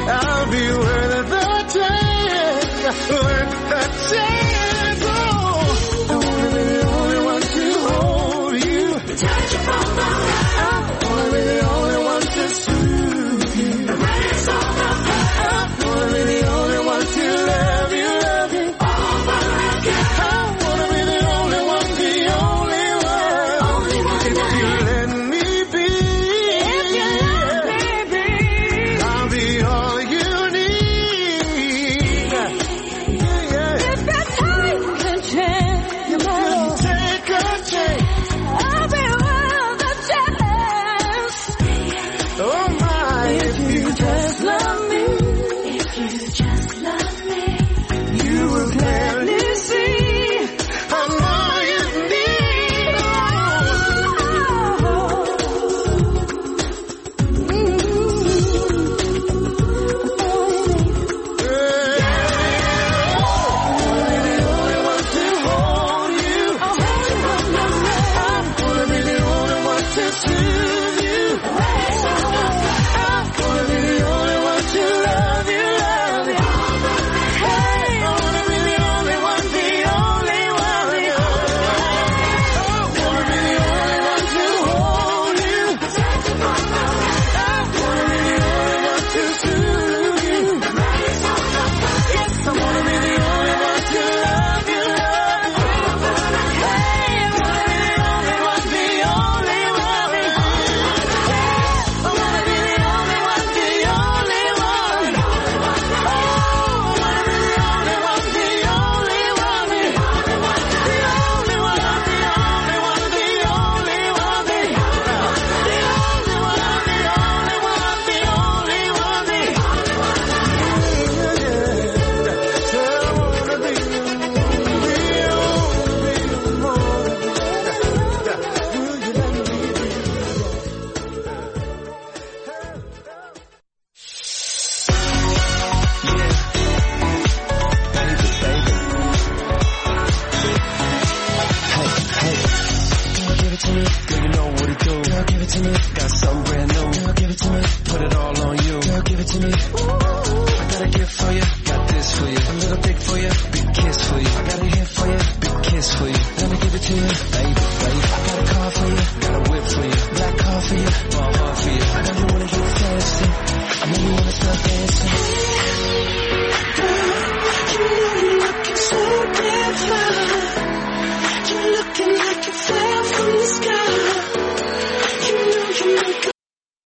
I'll be worth the chance, worth the chance. Oh, I wanna be the only one to hold you, touch you from the right. I wanna be the only one to soothe you, erase all the pain. I wanna be the only one to love you over again. I wanna be the only one, the only one. If you let me be, if you something brand new. Girl, give it to me. Put it all on you. Girl, give it to me. I got a gift for you. Got this for you. A little dick for you. Big kiss for you. I got a hit for you. Big kiss for you. Let me give it to you. Baby, baby. I got a car for you. Got a whip for you. Black car for you. My heart